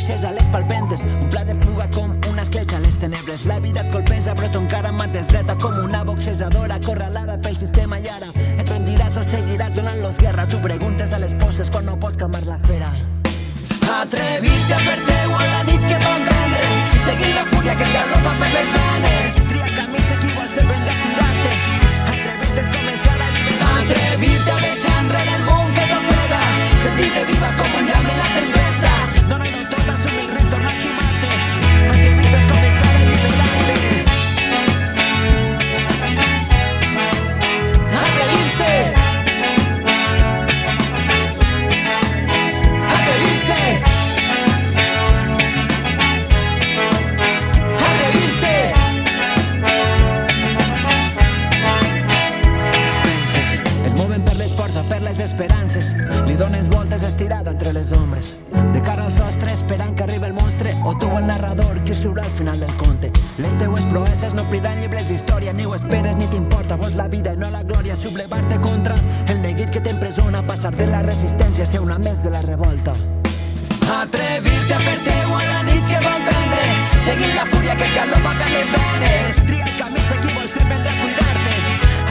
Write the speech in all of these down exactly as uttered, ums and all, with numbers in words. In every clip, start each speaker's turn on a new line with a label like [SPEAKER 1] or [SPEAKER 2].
[SPEAKER 1] fluixes a les palpentes, un pla de fuga com una escletxa a les tenebles. La vida et colpeja però tu encara mantens dreta com una boxejadora acorralada pel sistema i ara et rendiràs o seguiràs donant-los guerra. Tu preguntes a les postes quan no pots calmar la fera. Atrevir-te a fer-te-ho a la nit que vam vendre, seguir la fúria que et galopa per les venes. Tria el camí s'equivol sempre hem de cuidar-te. Atrevir-te a començar a alliberar-te. Atrevir-te a deixar enrere el món que t'ofega, sentir-te viva com un llamp en la tempesta. Dóna-lo tot, assumir el risc, tornar a estimar-te. Atrevir-te a començar a alliberar-te. Atrevir-te. Esperances, li dones voltes estirada entre les ombres, de cara al sostre esperant que arribi el monstre, o tu el narrador que escriurà al final del conte. Les teues proeses no obriran llibres d'història, ni ho esperes ni t'importa, vols la vida i no la glòria, sublevar-te contra el neguit que t'empresona, passar de la resistència a ser una més de la revolta. Atrevir-te a fer-te-ho a la nit que vam prendre, seguir la fúria que et galopa per les venes. Tria el camí s'equivol sempre hem de cuidar-te.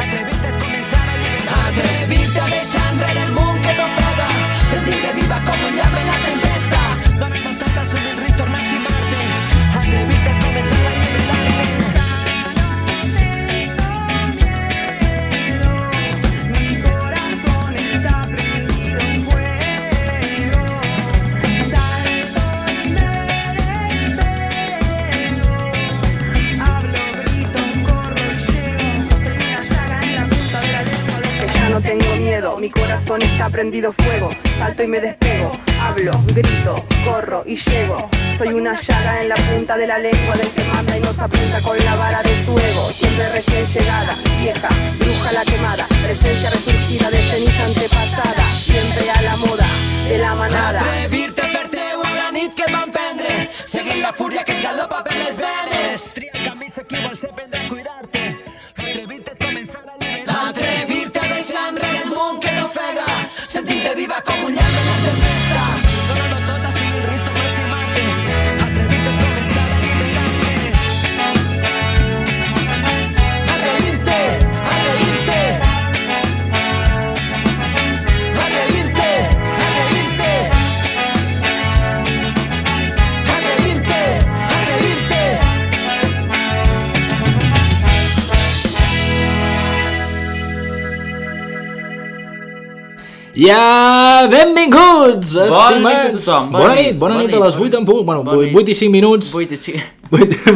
[SPEAKER 1] Atrevir-te a començar a alliberar-te. Atrevir-te a deixar enrere el món que t'ofega, sentir-te viva com un llamp en la tempesta. Dóna-lo tot, assumir el risc, tornar a estimar-te. Atrevir-te a començar a alliberar-te. Mi corazón está prendido en fuego. Salto y me despego. Hablo, grito, corro y llego. Soy una llaga en la punta de la lengua. Ya no tengo miedo, mi corazón está prendido fuego. Salto y me despego, hablo, grito, corro y llego. Soy una llaga en la punta de la lengua del que manda y nos apunta con la vara de su ego. Siempre recién llegada, vieja, bruja la quemada, presencia resurgida de ceniza antepasada, siempre a la moda de la manada. Atrevir-te a fer-te-ho a la nit que vam prendre, seguir la fúria que et galopa per les venes. Tria el camí s'equivol sempre hem de cuidar-te. Atrevir-te a començar a alliberar-te. Atrevir-te a deixar enrere el món que t'ofega, sentir-te viva com un llamp en la tempesta. Dóna-lo tot, assumir el risc, tornar a estimar-te. Atrevir-te a començar a alliberar-te. Atrevir-te, atrevir-te. Atrevir-te, atrevir-te. Atrevir-te, atrevir-te.
[SPEAKER 2] Ja, benvinguts,
[SPEAKER 3] Bona nit a
[SPEAKER 2] estimats.
[SPEAKER 3] tothom, bona
[SPEAKER 2] Bona
[SPEAKER 3] nit,
[SPEAKER 2] nit, bona
[SPEAKER 3] bona
[SPEAKER 2] nit a
[SPEAKER 3] nit,
[SPEAKER 2] les
[SPEAKER 3] bona
[SPEAKER 2] vuit en punt. Bueno,
[SPEAKER 3] Bona nit.
[SPEAKER 2] vuit i cinc minuts.
[SPEAKER 3] vuit i cinc.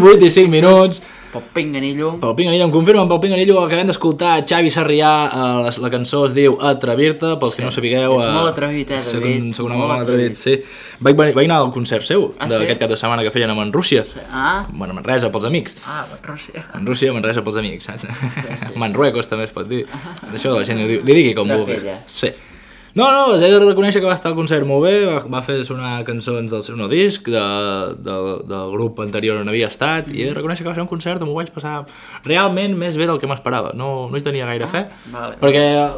[SPEAKER 2] vuit i cinc minuts.
[SPEAKER 3] Pel pinganillo.
[SPEAKER 2] Pel Pinganillo, em confirmen, pel Pinganillo acabem d'escoltar Xavi Sarrià, eh, la, la cançó es diu Atrevir-te, pels que
[SPEAKER 3] Sí.
[SPEAKER 2] no sapigueu.
[SPEAKER 3] Ets
[SPEAKER 2] eh,
[SPEAKER 3] molt atrevit, eh,
[SPEAKER 2] soc
[SPEAKER 3] David?
[SPEAKER 2] un, soc un home
[SPEAKER 3] Molt
[SPEAKER 2] molt atrevit,
[SPEAKER 3] atrevit.
[SPEAKER 2] sí. Vaig, venir- vaig anar al concert seu,
[SPEAKER 3] Ah,
[SPEAKER 2] d'aquest
[SPEAKER 3] sí?
[SPEAKER 2] cap de setmana que feien a Manrússia.
[SPEAKER 3] Ah,
[SPEAKER 2] Bueno, a Manresa, pels amics.
[SPEAKER 3] ah, Rússia.
[SPEAKER 2] Manrússia, Manresa pels amics, saps?
[SPEAKER 3] sí,
[SPEAKER 2] Manruecos també es pot dir. Això la gent li, diu- li digui com vulgui.
[SPEAKER 3] Trapella.
[SPEAKER 2] Sí. No, no, he de reconèixer que va estar al concert molt bé, va, va fer sonar cançons del seu nou disc, de, de, del grup anterior on havia estat, i he de reconèixer que va ser un concert on m'ho vaig passar realment més bé del que m'esperava. No, no hi tenia gaire fe,
[SPEAKER 3] vale.
[SPEAKER 2] perquè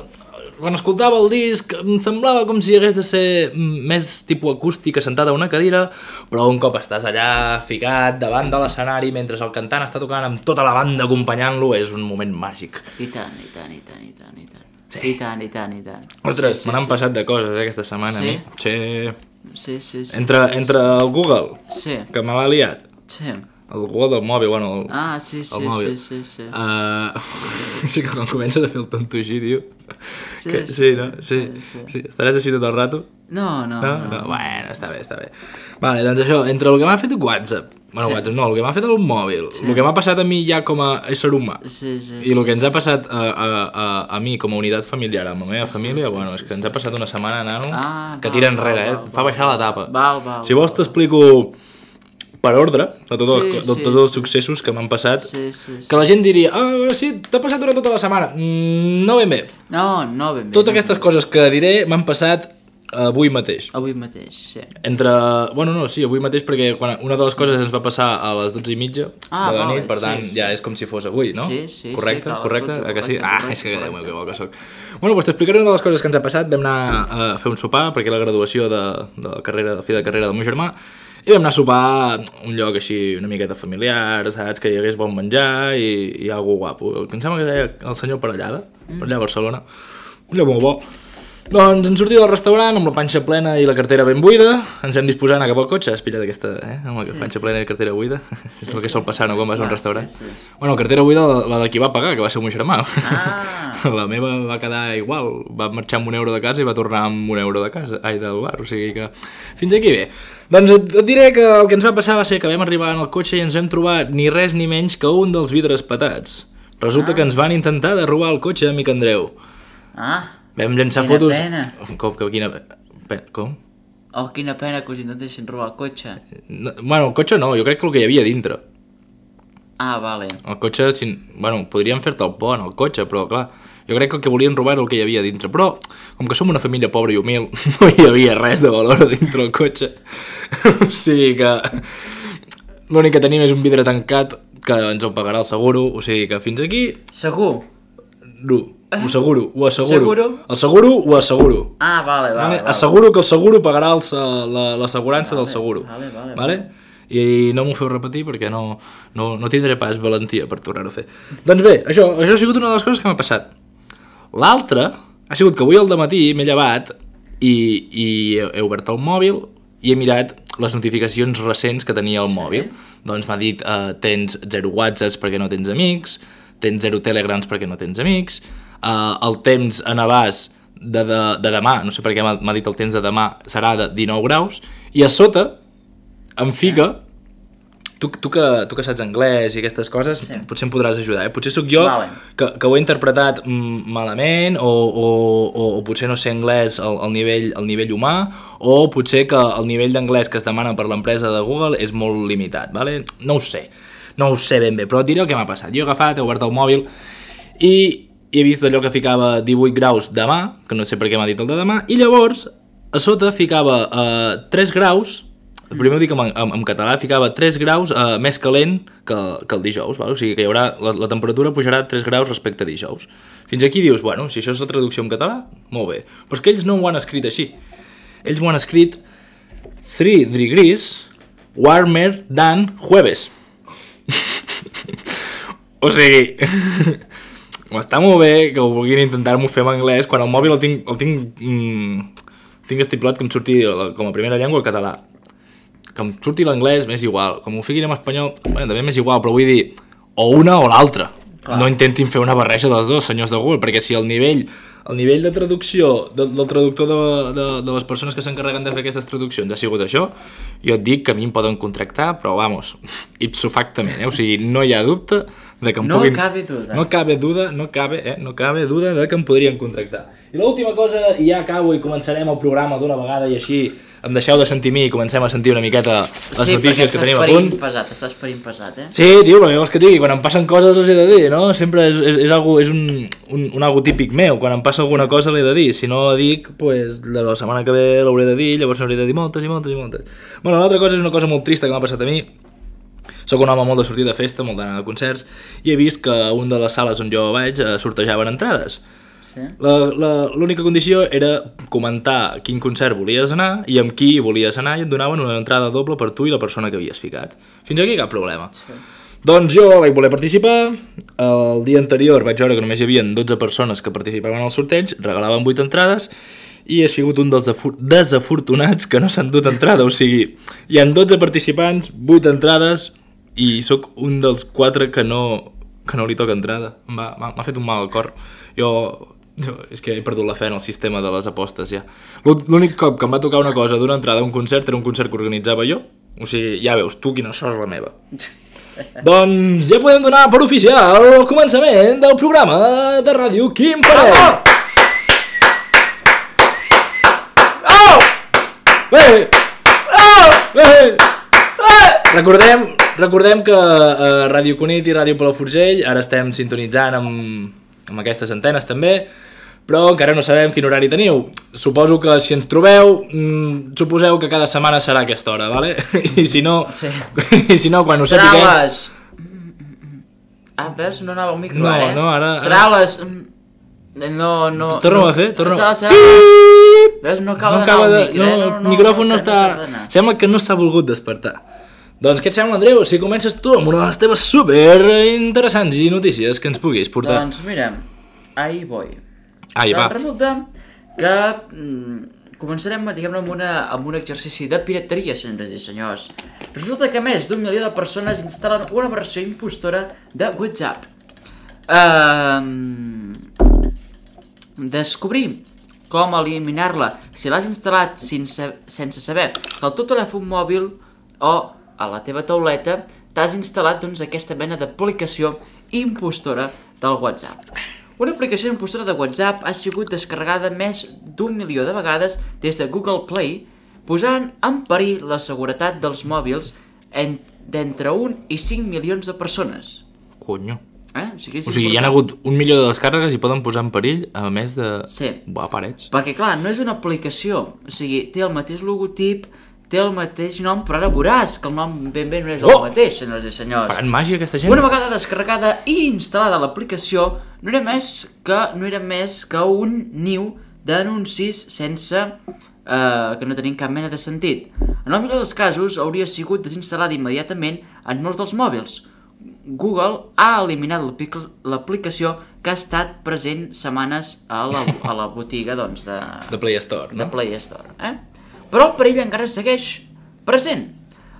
[SPEAKER 2] quan escoltava el disc em semblava com si hagués de ser més tipus acústica, sentat a una cadira, però un cop estàs allà ficat davant de l'escenari mentre el cantant està tocant amb tota la banda acompanyant-lo, és un moment màgic.
[SPEAKER 3] I tant, i tant, i tant, i tant, i tant.
[SPEAKER 2] Sí.
[SPEAKER 3] I tant, i tant, i tant.
[SPEAKER 2] Ostres,
[SPEAKER 3] Sí, sí,
[SPEAKER 2] me n'han
[SPEAKER 3] sí.
[SPEAKER 2] passat de coses eh, aquesta setmana.
[SPEAKER 3] Sí?
[SPEAKER 2] A mi. Sí.
[SPEAKER 3] Sí, sí, sí.
[SPEAKER 2] Entre,
[SPEAKER 3] sí,
[SPEAKER 2] entre el Google,
[SPEAKER 3] Sí,
[SPEAKER 2] que me l'ha liat,
[SPEAKER 3] sí.
[SPEAKER 2] el Google del mòbil, bueno, el,
[SPEAKER 3] Ah, sí, sí,
[SPEAKER 2] el mòbil.
[SPEAKER 3] sí, sí, sí.
[SPEAKER 2] Uh, és que quan comences a fer el tonto així, tio...
[SPEAKER 3] Sí,
[SPEAKER 2] que,
[SPEAKER 3] sí,
[SPEAKER 2] sí, no? Sí,
[SPEAKER 3] sí, sí.
[SPEAKER 2] sí. Estaràs així tot el rato?
[SPEAKER 3] No, no,
[SPEAKER 2] No?
[SPEAKER 3] no.
[SPEAKER 2] no? Bueno, està bé, està bé. Vale, doncs això, entre el que m'ha fet WhatsApp, bueno,
[SPEAKER 3] Sí.
[SPEAKER 2] WhatsApp no, el que m'ha fet el mòbil,
[SPEAKER 3] Sí.
[SPEAKER 2] el que m'ha passat a mi ja com a ésser humà,
[SPEAKER 3] Sí, sí,
[SPEAKER 2] i el
[SPEAKER 3] sí,
[SPEAKER 2] que ens ha passat a, a, a, a mi com a unitat familiar, amb la meva
[SPEAKER 3] Sí,
[SPEAKER 2] família,
[SPEAKER 3] sí,
[SPEAKER 2] bueno,
[SPEAKER 3] sí,
[SPEAKER 2] és que
[SPEAKER 3] sí,
[SPEAKER 2] ens ha passat una setmana, nano,
[SPEAKER 3] Ah,
[SPEAKER 2] que
[SPEAKER 3] val,
[SPEAKER 2] tira
[SPEAKER 3] val,
[SPEAKER 2] enrere, eh?
[SPEAKER 3] val,
[SPEAKER 2] Fa
[SPEAKER 3] val,
[SPEAKER 2] baixar la
[SPEAKER 3] val.
[SPEAKER 2] tapa.
[SPEAKER 3] Val, val,
[SPEAKER 2] Si vols
[SPEAKER 3] val.
[SPEAKER 2] t'explico per ordre de, tot el,
[SPEAKER 3] Sí,
[SPEAKER 2] de
[SPEAKER 3] sí,
[SPEAKER 2] tots els
[SPEAKER 3] sí.
[SPEAKER 2] successos que m'han passat,
[SPEAKER 3] Sí, sí, sí.
[SPEAKER 2] que la gent diria, ah, sí, t'ha passat durant tota la setmana. Mm, no ben bé.
[SPEAKER 3] No, no ben bé.
[SPEAKER 2] Totes
[SPEAKER 3] no ben
[SPEAKER 2] aquestes
[SPEAKER 3] bé.
[SPEAKER 2] coses que diré m'han passat avui mateix.
[SPEAKER 3] Avui mateix, sí.
[SPEAKER 2] Entre... Bueno, no, sí, avui mateix perquè quan una de les coses ens va passar a les dotze i mitja
[SPEAKER 3] Ah,
[SPEAKER 2] de la
[SPEAKER 3] vale,
[SPEAKER 2] nit, per tant,
[SPEAKER 3] sí, sí.
[SPEAKER 2] ja és com si fos avui, no?
[SPEAKER 3] Sí, sí, sí,
[SPEAKER 2] correcte,
[SPEAKER 3] clar,
[SPEAKER 2] correcte,
[SPEAKER 3] dotze,
[SPEAKER 2] eh que sí?
[SPEAKER 3] correcte,
[SPEAKER 2] Ah,
[SPEAKER 3] correcte,
[SPEAKER 2] és que Déu meu,
[SPEAKER 3] correcte.
[SPEAKER 2] que bo que soc. Bueno, doncs t'explicaré una de les coses que ens ha passat. Vam anar a fer un sopar perquè la graduació de, de la carrera, de fi de carrera del meu germà, i vam anar a sopar a un lloc així una miqueta familiar, saps, que hi hagués bon menjar i, i algo guapo. Em sembla que deia el senyor Parellada, mm. per allà a Barcelona. Un lloc molt bo. Doncs ens sortim del restaurant amb la panxa plena i la cartera ben buida, ens hem disposat a anar cap al cotxe, has pillat aquesta, eh? Amb la sí, panxa sí, plena i la cartera buida, sí, és el que sol passar, no?, quan vas a un restaurant. Sí, sí. Bueno, cartera buida, la, la de qui va pagar, que va ser el meu germà. Ah. La meva va quedar igual, va marxar amb un euro de casa i va tornar amb un euro de casa, ai, del bar, o sigui que fins aquí bé. Doncs et, et diré que el que ens va passar va ser que vam arribar en el cotxe i ens vam trobar ni res ni menys que un dels vidres patats. Resulta ah. que ens van intentar de robar el cotxe, amic Andreu.
[SPEAKER 3] Ah.
[SPEAKER 2] Vam llançar
[SPEAKER 3] quina
[SPEAKER 2] fotos...
[SPEAKER 3] pena.
[SPEAKER 2] Com, que, quina pena? Com?
[SPEAKER 3] Oh, quina pena que us intentessin robar el cotxe.
[SPEAKER 2] No, bueno, el cotxe no, jo crec que el que hi havia dintre.
[SPEAKER 3] Ah, vale.
[SPEAKER 2] El cotxe, si, bueno, podríem fer-te el pont, el cotxe, però clar, jo crec que el que volien robar era el que hi havia dintre. Però, com que som una família pobra i humil, no hi havia res de valor dintre el cotxe. O sigui que l'únic que tenim és un vidre tancat que ens el pagarà el seguro, o sigui que fins aquí...
[SPEAKER 3] Segur?
[SPEAKER 2] No. Ho asseguro, ho asseguro.
[SPEAKER 3] Seguro?
[SPEAKER 2] El seguro ho asseguro.
[SPEAKER 3] Ah, vale, vale. vale.
[SPEAKER 2] Asseguro que el seguro pagarà l'assegurança
[SPEAKER 3] vale,
[SPEAKER 2] del seguro.
[SPEAKER 3] Vale, vale.
[SPEAKER 2] Vale? I no m'ho feu repetir perquè no, no, no tindré pas valentia per tornar-ho a fer. Doncs bé, això, això ha sigut una de les coses que m'ha passat. L'altra ha sigut que avui al dematí m'he llevat i, i he, he obert el mòbil i he mirat les notificacions recents que tenia al mòbil. Doncs m'ha dit, eh, tens zero whatsapps perquè no tens amics, tens zero telegrams perquè no tens amics, Uh, el temps a Navàs de, de, de demà, no sé per què m'ha dit el temps de demà, serà de dinou graus, i a sota em fica, tu, tu, que, tu que saps anglès i aquestes coses, sí. potser em podràs ajudar, eh? Potser sóc jo vale. que, que ho he interpretat mm, malament, o, o, o, o potser no sé anglès al, al, nivell, al nivell humà, o potser que el nivell d'anglès que es demana per l'empresa de Google és molt limitat, vale? No ho sé, no ho sé ben bé, però et diré el que m'ha passat. Jo he agafat, he obert el mòbil i i he vist allò que ficava divuit graus demà, que no sé per què m'ha dit el de demà, i llavors a sota ficava uh, tres graus, el primer ho dic en, en, en català, ficava tres graus uh, més calent que, que el dijous, val? O sigui que hi haurà, la, la temperatura pujarà tres graus respecte a dijous. Fins aquí dius, bueno, si això és la traducció en català, molt bé. Però és que ells no ho han escrit així. Ells ho han escrit three degrees warmer than jueves. O sigui... Està molt bé que ho vulguin intentar-m'ho fer en anglès quan el mòbil el tinc, el tinc, mm, tinc estipulat que em surti com a primera llengua el català. Que em surti l'anglès m'és igual, com ho fiquin en espanyol bueno, també m'és igual, però vull dir o una o l'altra. No intentin fer una barreja dels dos, senyors de Google, perquè si el nivell el nivell de traducció de, del traductor de, de, de les persones que s'encarreguen de fer aquestes traduccions ha sigut això, jo et dic que a mi em poden contractar, però vamos, ipso factament, eh? O sigui, no hi ha dubte de que em
[SPEAKER 3] no
[SPEAKER 2] puguin...
[SPEAKER 3] cabe duda.
[SPEAKER 2] No cabe duda, no cabe, eh? No cabe duda de que em podrien contractar. I l'última cosa, i ja acabo i començarem el programa d'una vegada i així em deixeu de sentir mi i comencem a sentir una miqueta les
[SPEAKER 3] sí,
[SPEAKER 2] notícies que tenim a punt.
[SPEAKER 3] Sí, perquè estàs per impesat, eh?
[SPEAKER 2] Sí, tio, però llavors que digui, quan em passen coses els he de dir, no? Sempre és, és, és, algo, és un, un, un algo típic meu, quan em passa alguna cosa l'he de dir, si no la dic, pues, la setmana que ve l'hauré de dir, llavors n'hauré de dir moltes i moltes i moltes. Bueno, l'altra cosa és una cosa molt trista que m'ha passat a mi. Soc un home molt de sortir de festa, molt d'anar a concerts, i he vist que a una de les sales on jo vaig eh, sortejaven entrades. L'única condició era comentar quin concert volies anar i amb qui volies anar i et donaven una entrada doble per tu i la persona que havies ficat. Fins aquí cap problema. Sí. Doncs jo vaig voler participar, el dia anterior vaig veure que només hi havia dotze persones que participaven al sorteig, regalaven vuit entrades i he sigut un dels desafortunats que no s'han dut entrada, o sigui, hi ha dotze participants, vuit entrades i sóc un dels quatre que no, que no li toca entrada. M'ha fet un mal al cor. Jo... Jo, és que he perdut la fe en el sistema de les apostes ja. L'únic cop que em va tocar una cosa d'una entrada a un concert era un concert que organitzava jo. O sigui, ja veus, tu quina sort és la meva. Doncs ja podem donar per oficial el començament del programa de ràdio Quim Parell. Oh! Bé! Oh! Bé! Recordem, recordem que a Ràdio Cunit i Ràdio Palafrugell ara estem sintonitzant amb, amb aquestes antenes també, però encara no sabem quin horari teniu. Suposo que si ens trobeu, mmm, suposeu que cada setmana serà a aquesta hora, vale? I si no, sí. I si no quan ho sapiguem...
[SPEAKER 3] Serà les... Ah, veus? No anava un micro,
[SPEAKER 2] no,
[SPEAKER 3] ara, eh?
[SPEAKER 2] No, ara...
[SPEAKER 3] Serà les... No, no...
[SPEAKER 2] Torna-ho a fer, torna-ho.
[SPEAKER 3] Serà les...
[SPEAKER 2] Pip!
[SPEAKER 3] Veus, no acaba
[SPEAKER 2] no
[SPEAKER 3] d'anar
[SPEAKER 2] acaba
[SPEAKER 3] el
[SPEAKER 2] de...
[SPEAKER 3] micro,
[SPEAKER 2] no,
[SPEAKER 3] eh? No,
[SPEAKER 2] el
[SPEAKER 3] no,
[SPEAKER 2] micròfon no,
[SPEAKER 3] no,
[SPEAKER 2] està...
[SPEAKER 3] no està...
[SPEAKER 2] Sembla que no s'ha volgut despertar. Doncs què et sembla, Andreu, si comences tu amb una de les teves super interessants i notícies que ens puguis portar?
[SPEAKER 3] Doncs mira, ahí voy.
[SPEAKER 2] Ahí va.
[SPEAKER 3] Doncs resulta que mm, començarem, diguem-ne, amb, una, amb un exercici de pirateria, senyores i senyors. Resulta que més d'un milió de persones instal·len una versió impostora de WhatsApp. Um, descobrir com eliminar-la si l'has instal·lat sense, sense saber que al teu telèfon mòbil o a la teva tauleta t'has instal·lat doncs, aquesta mena d'aplicació impostora del WhatsApp. Una aplicació impostora de WhatsApp ha sigut descarregada més d'un milió de vegades des de Google Play, posant en perill la seguretat dels mòbils en, d'entre un i cinc milions de persones.
[SPEAKER 2] Conyo.
[SPEAKER 3] Eh? O sigui,
[SPEAKER 2] O sigui, hi ha hagut un milió de descàrregues i poden posar en perill, a més de...
[SPEAKER 3] Sí.
[SPEAKER 2] Buah, parets.
[SPEAKER 3] Perquè, clar, no és una aplicació. O sigui, té el mateix logotip, té el mateix nom, però ara veuràs que el nom ben bé no és el
[SPEAKER 2] Oh!
[SPEAKER 3] mateix, senyors i senyors.
[SPEAKER 2] Faran màgia, aquesta gent?
[SPEAKER 3] Una vegada descarregada i instal·lada l'aplicació, no era més que no era més que un niu d'anuncis sense... Eh, que no tenien cap mena de sentit. En el millor dels casos, hauria sigut desinstal·lada immediatament en molts dels mòbils. Google ha eliminat l'aplicació que ha estat present setmanes a la, a la botiga doncs, de,
[SPEAKER 2] De Play Store, no?
[SPEAKER 3] de Play Store. Eh? Però el perill encara segueix present.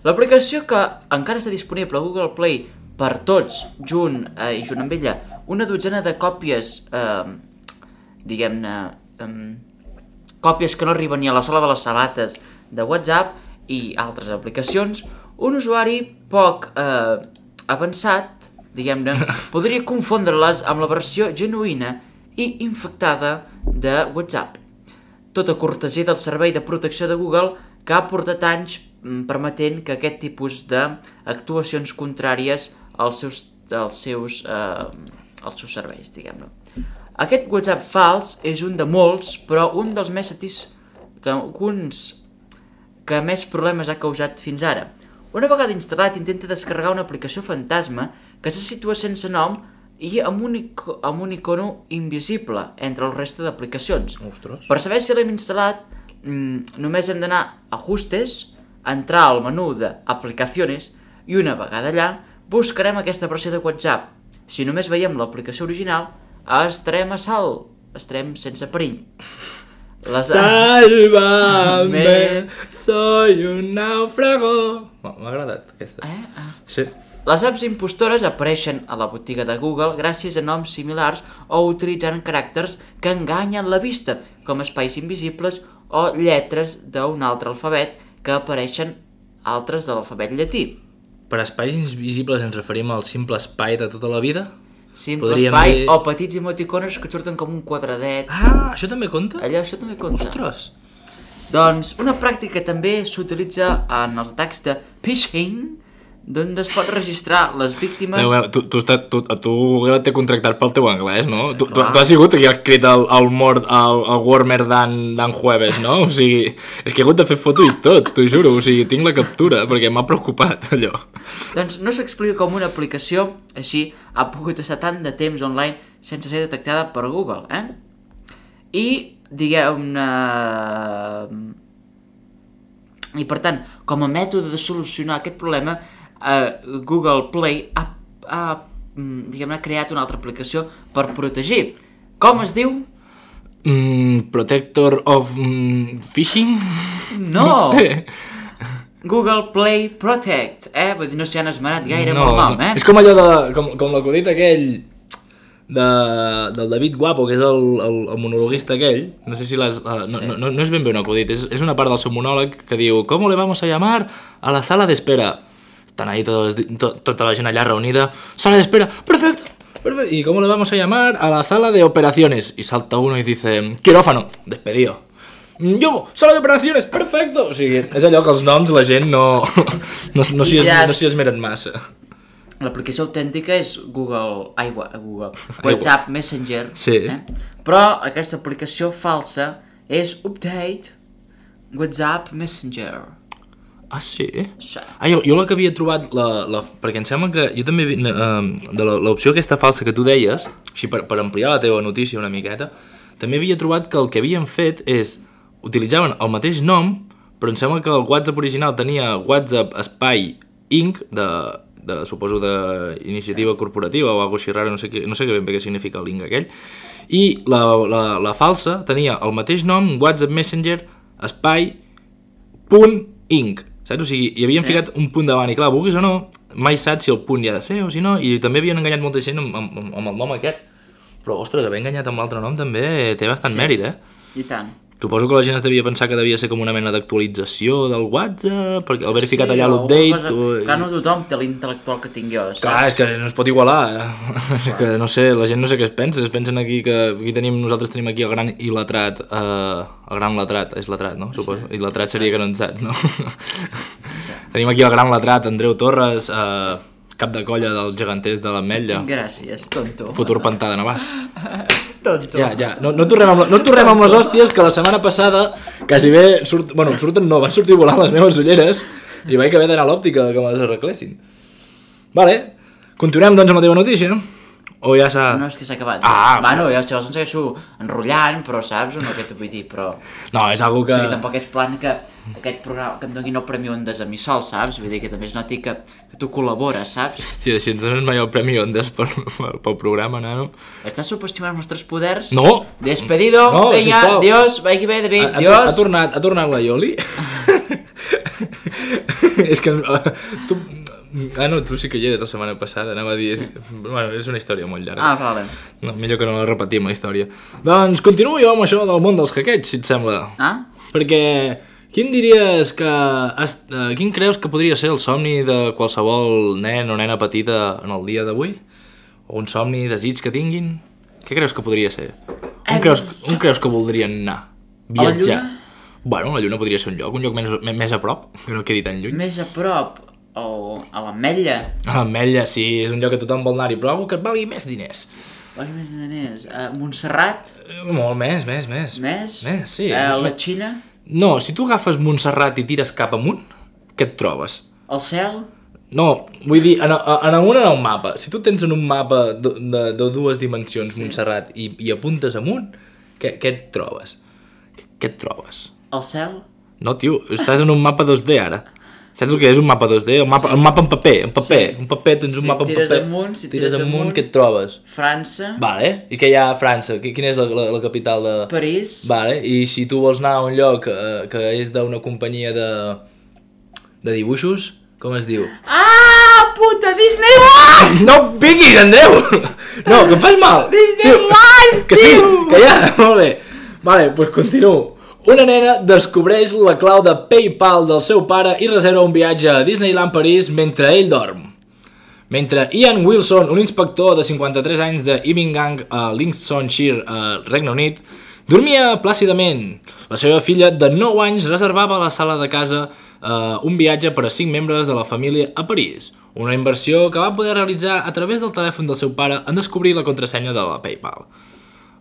[SPEAKER 3] L'aplicació que encara està disponible a Google Play per tots, junt eh, i junt amb ella, una dotzena de còpies, eh, diguem-ne, eh, còpies que no arriben ni a la sola de les sabates de WhatsApp i altres aplicacions, un usuari poc eh, avançat, diguem-ne, podria confondre-les amb la versió genuïna i infectada de WhatsApp. Tota cortesia del servei de protecció de Google que ha portat anys permetent que aquest tipus d'actuacions contràries als seus, als seus, eh, als seus serveis, diguem-ne. Aquest WhatsApp fals és un de molts, però un dels més satis... que, uns que més problemes ha causat fins ara. Una vegada instal·lat, intenta descarregar una aplicació fantasma que se situa sense nom i amb un, ico amb un icono invisible entre el reste d'aplicacions.
[SPEAKER 2] Ostres.
[SPEAKER 3] Per saber si l'hem instal·lat, mmm, només hem d'anar a Ajustes, entrar al menú d'Aplicaciones i una vegada allà buscarem aquesta versió de WhatsApp. Si només veiem l'aplicació original, estarem a salt, estarem sense perill. Les...
[SPEAKER 2] Sálvame, soy un náufrago. M'ha agradat aquesta.
[SPEAKER 3] Eh? Ah.
[SPEAKER 2] Sí.
[SPEAKER 3] Les apps impostores apareixen a la botiga de Google gràcies a noms similars o utilitzant caràcters que enganyen la vista, com espais invisibles o lletres d'un altre alfabet que apareixen altres de l'alfabet llatí.
[SPEAKER 2] Per espais invisibles ens referim al simple espai de tota la vida?
[SPEAKER 3] Simple
[SPEAKER 2] Podríem
[SPEAKER 3] espai
[SPEAKER 2] dir-
[SPEAKER 3] o petits emoticones que et surten com un quadradet.
[SPEAKER 2] Ah, això també compta?
[SPEAKER 3] Allò, això també compta.
[SPEAKER 2] Ostres.
[SPEAKER 3] Doncs una pràctica que també s'utilitza en els atacs de phishing, d'on es pot registrar les víctimes...
[SPEAKER 2] Déu meu, tu, tu, tu, tu, tu t'he contractat pel teu anglès, no? Tu, tu,
[SPEAKER 3] Clar.
[SPEAKER 2] tu has sigut qui ha escrit el, el mort, el, el Warmer d'en Jueves, no? O sigui, és que he hagut de fer foto i tot, t'ho juro. O sigui, tinc la captura, perquè m'ha preocupat, allò.
[SPEAKER 3] Doncs no s'explica com una aplicació així ha pogut estar tant de temps online sense ser detectada per Google, eh? I, diguem-ne... I per tant, com a mètode de solucionar aquest problema, eh, Google Play ha, ha mm, diguem-ne, creat una altra aplicació per protegir. Com es diu?
[SPEAKER 2] Mm, protector of mm, phishing?
[SPEAKER 3] No!
[SPEAKER 2] No sé.
[SPEAKER 3] Google Play Protect, eh? Vull dir, no s'hi han esmerat gaire
[SPEAKER 2] No,
[SPEAKER 3] pel nom, eh?
[SPEAKER 2] és com allò de... Com, com l'acudit aquell de, del David Guapo, que és el, el, el monologuista aquell. No sé si l'has... Uh, no,
[SPEAKER 3] Sí.
[SPEAKER 2] no, no, no és ben bé un acudit, és, és una part del seu monòleg que diu ¿Cómo le vamos a llamar a la sala de espera? Están ahí todos, to, tota la gent allà reunida. Sala de espera, perfecto, perfecto. ¿Y cómo le vamos a llamar a la sala de operaciones? Y salta uno y dice quirófano, despedido. Yo, sala de operaciones, perfecto. O sigui, és allò que els noms la gent no, no, no s'hi es, no s'hi esmeren massa.
[SPEAKER 3] L'aplicació autèntica és Google, ai, Google WhatsApp Messenger,
[SPEAKER 2] Sí.
[SPEAKER 3] eh? Però aquesta aplicació falsa és Update WhatsApp Messenger.
[SPEAKER 2] Ah, sí?
[SPEAKER 3] Sí.
[SPEAKER 2] Ah, jo, jo la que havia trobat, la, la, perquè em sembla que jo també, eh, de l'opció aquesta falsa que tu deies, així per, per ampliar la teva notícia una miqueta, també havia trobat que el que havien fet és utilitzaven el mateix nom, però em sembla que el WhatsApp original tenia WhatsApp Espai Incorporated, de, de, suposo d'iniciativa corporativa o alguna cosa així rara, no sé, què, no sé ben bé què significa el link aquell, i la, la, la falsa tenia el mateix nom, WhatsApp Messenger Espai punt inc, saps? O sigui, hi havien sí. ficat un punt davant i clar, vulguis o no, mai saps si el punt hi ha de ser o si no, i també havien enganyat molta gent amb, amb, amb el nom aquest. Però, ostres, haver enganyat amb l'altre nom també té bastant sí. mèrit, eh?
[SPEAKER 3] I tant.
[SPEAKER 2] Suposo que la gent es devia pensar que devia ser com una mena d'actualització del WhatsApp, perquè haver sí, ficat allà l'update...
[SPEAKER 3] Cosa... O... Clar, no tothom té l'intel·lectual que tinc jo, saps?
[SPEAKER 2] Clar, és que no es pot igualar. Eh? Que no sé, la gent no sé què es pensa. Es pensen aquí que aquí tenim, nosaltres tenim aquí el gran il·letrat. Eh, el gran letrat, és letrat, no? Suposo. Sí. Il·letrat seria que no en saps, no? Sí. Tenim aquí el gran letrat, Andreu Torres... Eh, cap de colla dels geganters de l'Ametlla.
[SPEAKER 3] Gràcies, tonto.
[SPEAKER 2] Futur pantà de Navàs.
[SPEAKER 3] Tonto.
[SPEAKER 2] Ja, ja. No, no, tornem amb, no tornem amb les hòsties, que la setmana passada quasi bé... Surt, bueno, surten no, van sortir volant les meves ulleres i vaig haver d'anar a l'òptica que me les arreglessin. Vale. Continuem, doncs, amb la teva notícia. O ja s'ha...
[SPEAKER 3] No, és que s'ha acabat.
[SPEAKER 2] Ah,
[SPEAKER 3] bueno, ja llavors em segueixo enrotllant, però saps o no què t'ho vull dir, però...
[SPEAKER 2] No, és algo que...
[SPEAKER 3] O sigui, tampoc és plan que aquest programa, que em doni el Premi Ondas a mi sol, saps? Vull dir que també es noti que, que tu col·labores, saps?
[SPEAKER 2] Hòstia, si ens dones mai el Premi Ondas per, per, pel programa, nano...
[SPEAKER 3] Estàs subestimant els nostres poders?
[SPEAKER 2] No!
[SPEAKER 3] Despedido,
[SPEAKER 2] no,
[SPEAKER 3] venga,
[SPEAKER 2] sisplau.
[SPEAKER 3] Dios, vagi bé, David,
[SPEAKER 2] ha,
[SPEAKER 3] Dios...
[SPEAKER 2] Ha tornat, ha tornat la Ioli? És que... Tu... Ah, no, tu sí que hi eres la setmana passada, anava a dir... Sí. Bueno, és una història molt llarga.
[SPEAKER 3] Ah, vale.
[SPEAKER 2] No, millor que no la repetim, la història. Doncs continuo jo amb això del món dels hackeig, si et sembla.
[SPEAKER 3] Ah?
[SPEAKER 2] Perquè quin diries que... Has, uh, quin creus que podria ser el somni de qualsevol nen o nena petita en el dia d'avui? O un somni, desig que tinguin? Què creus que podria ser? On, creus, on creus que voldrien anar? Viatjar?
[SPEAKER 3] A la Lluna?
[SPEAKER 2] Bueno, la Lluna podria ser un lloc, un lloc més, més a prop, que no quedi tan lluny.
[SPEAKER 3] Més a prop... O a l'Ametlla.
[SPEAKER 2] A l'Ametlla, sí, és un lloc que tothom vol anar-hi, però algú que et valgui més diners.
[SPEAKER 3] Valgui més diners. A Montserrat?
[SPEAKER 2] Uh, molt més, més, més.
[SPEAKER 3] Més?
[SPEAKER 2] Més, sí.
[SPEAKER 3] A la Xina?
[SPEAKER 2] No, si tu agafes Montserrat i tires cap amunt, què et trobes?
[SPEAKER 3] Al cel?
[SPEAKER 2] No, vull dir, en, en amunt en el mapa. Si tu tens en un mapa de, de, de dues dimensions, sí. Montserrat, i, i apuntes amunt, què, què et trobes? Què et trobes?
[SPEAKER 3] Al cel?
[SPEAKER 2] No, tio, estàs en un mapa dos D ara. Saps el que és un mapa dos D? Un mapa, sí. un mapa en paper, en paper. Sí. Un paper, tens
[SPEAKER 3] si
[SPEAKER 2] un mapa en
[SPEAKER 3] tires
[SPEAKER 2] paper.
[SPEAKER 3] Amunt, si
[SPEAKER 2] tires,
[SPEAKER 3] tires
[SPEAKER 2] amunt,
[SPEAKER 3] amunt,
[SPEAKER 2] què et trobes?
[SPEAKER 3] França.
[SPEAKER 2] Vale, i què hi ha a França? Quina és la, la, la capital de...
[SPEAKER 3] París.
[SPEAKER 2] Vale, i si tu vols anar a un lloc eh, que és d'una companyia de... de dibuixos, com es diu?
[SPEAKER 3] Ah, puta, Disneyland!
[SPEAKER 2] No vinguis, Andreu! No, que em fas mal!
[SPEAKER 3] Disneyland,
[SPEAKER 2] que sí, que ja, molt bé. Vale, doncs pues continuo. Una nena descobreix la clau de PayPal del seu pare i reserva un viatge a Disneyland París mentre ell dorm. Mentre Ian Wilson, un inspector de cinquanta-tres anys de Immingham a Lincolnshire, a Regne Unit, dormia plàcidament. La seva filla de nou anys reservava a la sala de casa eh, un viatge per a cinc membres de la família a París. Una inversió que va poder realitzar a través del telèfon del seu pare en descobrir la contrasenya de la PayPal.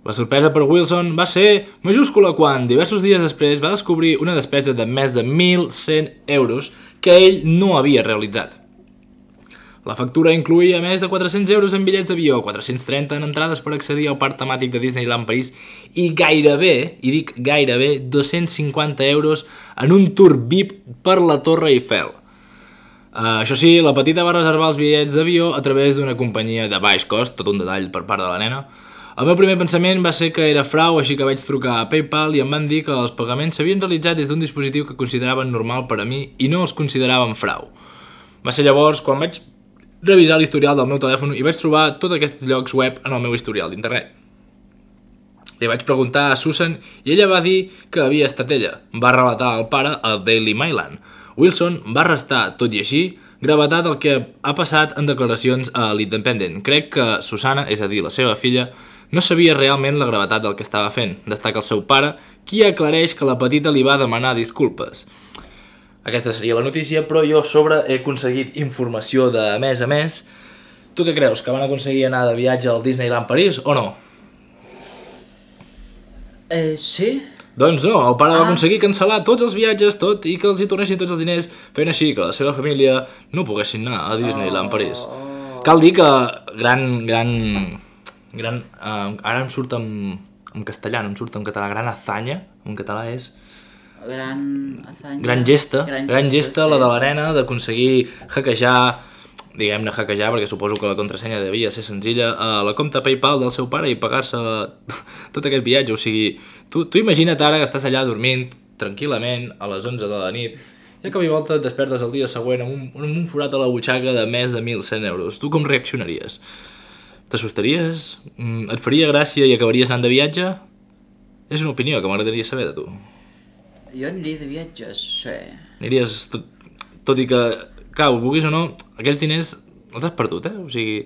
[SPEAKER 2] La sorpresa per Wilson va ser majúscula quan, diversos dies després, va descobrir una despesa de més de mil cent euros que ell no havia realitzat. La factura incloïa més de quatre-cents euros en bitllets d'avió, quatre-cents trenta en entrades per accedir al parc temàtic de Disneyland París i gairebé, i dic gairebé, dos-cents cinquanta euros en un tour V I P per la Torre Eiffel. Uh, això sí, la petita va reservar els bitllets d'avió a través d'una companyia de baix cost, tot un detall per part de la nena. El meu primer pensament va ser que era frau, així que vaig trucar a PayPal i em van dir que els pagaments s'havien realitzat des d'un dispositiu que consideraven normal per a mi i no els consideraven frau. Va ser llavors quan vaig revisar l'historial del meu telèfon i vaig trobar tots aquests llocs web en el meu historial d'internet. Li vaig preguntar a Susan i ella va dir que havia estat ella. Va relatar al pare al Daily Mail. Wilson va restar, tot i així, gravetat el que ha passat en declaracions a l'Independent. Crec que Susana, és a dir, la seva filla, no sabia realment la gravetat del que estava fent. Destaca el seu pare, qui aclareix que la petita li va demanar disculpes. Aquesta seria la notícia, però jo a sobre he aconseguit informació de mes a mes. Tu què creus, que van aconseguir anar de viatge al Disneyland París o no?
[SPEAKER 3] Eh, sí?
[SPEAKER 2] Doncs no, el pare
[SPEAKER 3] ah.
[SPEAKER 2] va aconseguir cancel·lar tots els viatges, tot, i que els hi tornessin tots els diners, fent així que la seva família no poguessin anar a Disneyland oh. París. Cal dir que gran, gran... gran uh, ara em surt amb, en castellà, no em surt en català, gran hazaña, en català és...
[SPEAKER 3] Gran hazaña...
[SPEAKER 2] Gran gesta, gran, gran gesta, gesta
[SPEAKER 3] sí.
[SPEAKER 2] La de l'arena, d'aconseguir hackejar, diguem-ne hackejar, perquè suposo que la contrasenya devia ser senzilla, a la compte PayPal del seu pare i pagar-se tot aquest viatge. O sigui, tu, tu imagina't ara que estàs allà dormint tranquil·lament a les onze de la nit i a cap i volta et despertes el dia següent amb un, amb un forat a la butxaca de més de mil cent euros. Tu com reaccionaries? T'assustaries? Et faria gràcia i acabaries anant de viatge? És una opinió que m'agradaria saber de tu.
[SPEAKER 3] Jo aniria de viatge, sí.
[SPEAKER 2] Aniries, tot, tot i que, clar, ho vulguis o no, aquests diners els has perdut, eh? O sigui,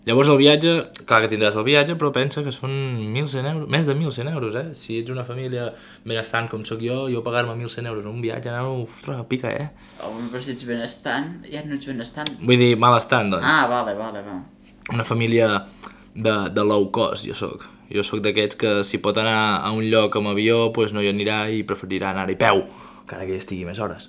[SPEAKER 2] llavors el viatge, clar que tindràs el viatge, però pensa que són mil cent euros, més de mil cent euros, eh? Si ets una família benestant com sóc jo, jo pagar-me mil cent euros en un viatge, no, ostres, pica, eh?
[SPEAKER 3] Home, però si ets benestant, ja no ets benestant.
[SPEAKER 2] Vull dir, malestant, doncs.
[SPEAKER 3] Ah, vale, vale, vale.
[SPEAKER 2] Una família de, de low cost, jo sóc. Jo sóc d'aquests que si pot anar a un lloc amb avió, doncs no hi anirà i preferirà anar-hi a peu, encara que hi estigui més hores.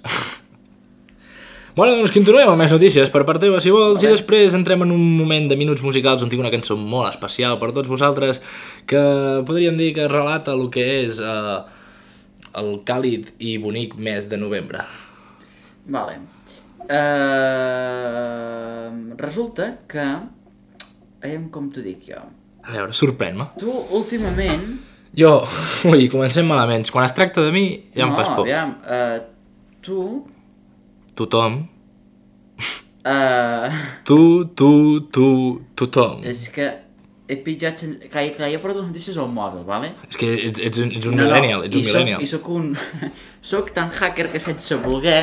[SPEAKER 2] Bueno, doncs continuem amb més notícies per part teva, si vols, i després entrem en un moment de minuts musicals on tinc una cançó molt especial per tots vosaltres que podríem dir que relata el que és eh, el càlid i bonic mes de novembre.
[SPEAKER 3] Vale. Uh, resulta que... Aviam com t'ho dic jo.
[SPEAKER 2] A veure, sorprèn-me.
[SPEAKER 3] Tu, últimament...
[SPEAKER 2] Jo, ui, comencem malament. Quan es tracta de mi, ja
[SPEAKER 3] no,
[SPEAKER 2] em fas por.
[SPEAKER 3] No, aviam, uh, tu...
[SPEAKER 2] Tothom.
[SPEAKER 3] Uh...
[SPEAKER 2] Tu, tu, tu, tothom.
[SPEAKER 3] És que he pitjat sense... Clar, clar, he portat les notícies al mòbil, vale?
[SPEAKER 2] És que ets, ets un, ets un
[SPEAKER 3] no,
[SPEAKER 2] millennial,
[SPEAKER 3] no,
[SPEAKER 2] ets un
[SPEAKER 3] i
[SPEAKER 2] millennial.
[SPEAKER 3] Soc, I soc un... soc tan hacker que sense voler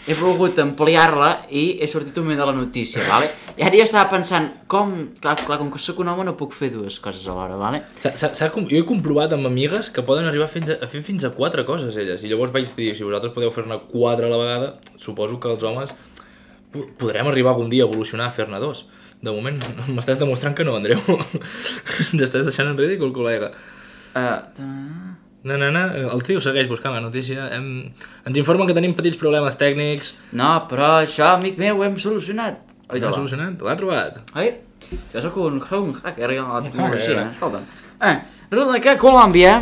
[SPEAKER 3] he volgut ampliar-la i he sortit un moment de la notícia, vale? I ara jo estava pensant, com... Clar, clar com que soc un home no puc fer dues coses alhora, vale?
[SPEAKER 2] S -s -s jo he comprovat amb amigues que poden arribar a fer, a fer fins a quatre coses, elles. I llavors vaig dir, si vosaltres podeu fer-ne quatre a la vegada, suposo que els homes podrem arribar algun dia a evolucionar a fer-ne dos. De moment m'estàs demostrant que no, Andreu. Ens estàs deixant en ridícul, col·lega.
[SPEAKER 3] Uh,
[SPEAKER 2] Na, na, na. El tio segueix buscant la notícia. Hem... Ens informen que tenim petits problemes tècnics.
[SPEAKER 3] No, però això, amic meu, ho hem solucionat. Oi,
[SPEAKER 2] L'hem solucionat? L'ha trobat?
[SPEAKER 3] Oi? Jo soc un, un hacker amb la tecnologia, escolta. Eh, resulta que a Colòmbia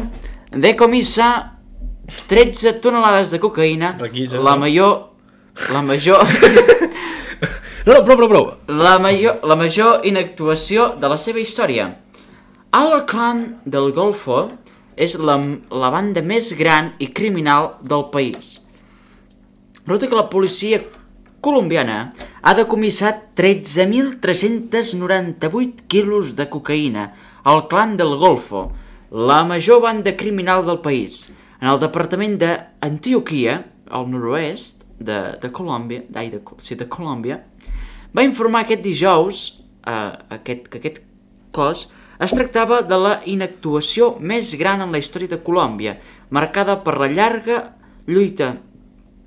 [SPEAKER 3] decomissa tretze tonelades de cocaïna,
[SPEAKER 2] Requisa,
[SPEAKER 3] la
[SPEAKER 2] no?
[SPEAKER 3] major... La major...
[SPEAKER 2] No, no, prou, prou, prou.
[SPEAKER 3] La major, la major inactuació de la seva història. El clan del Golfo és la, la banda més gran i criminal del país. Resulta que la policia colombiana ha decomissat tretze mil tres-cents noranta-vuit quilos de cocaïna al clan del Golfo, la major banda criminal del país, en el departament d'Antioquia, al nord-oest de, de Colòmbia, ai, de, sí, de Colòmbia, va informar aquest dijous eh, aquest, que aquest cos es tractava de la inactuació més gran en la història de Colòmbia, marcada per la llarga lluita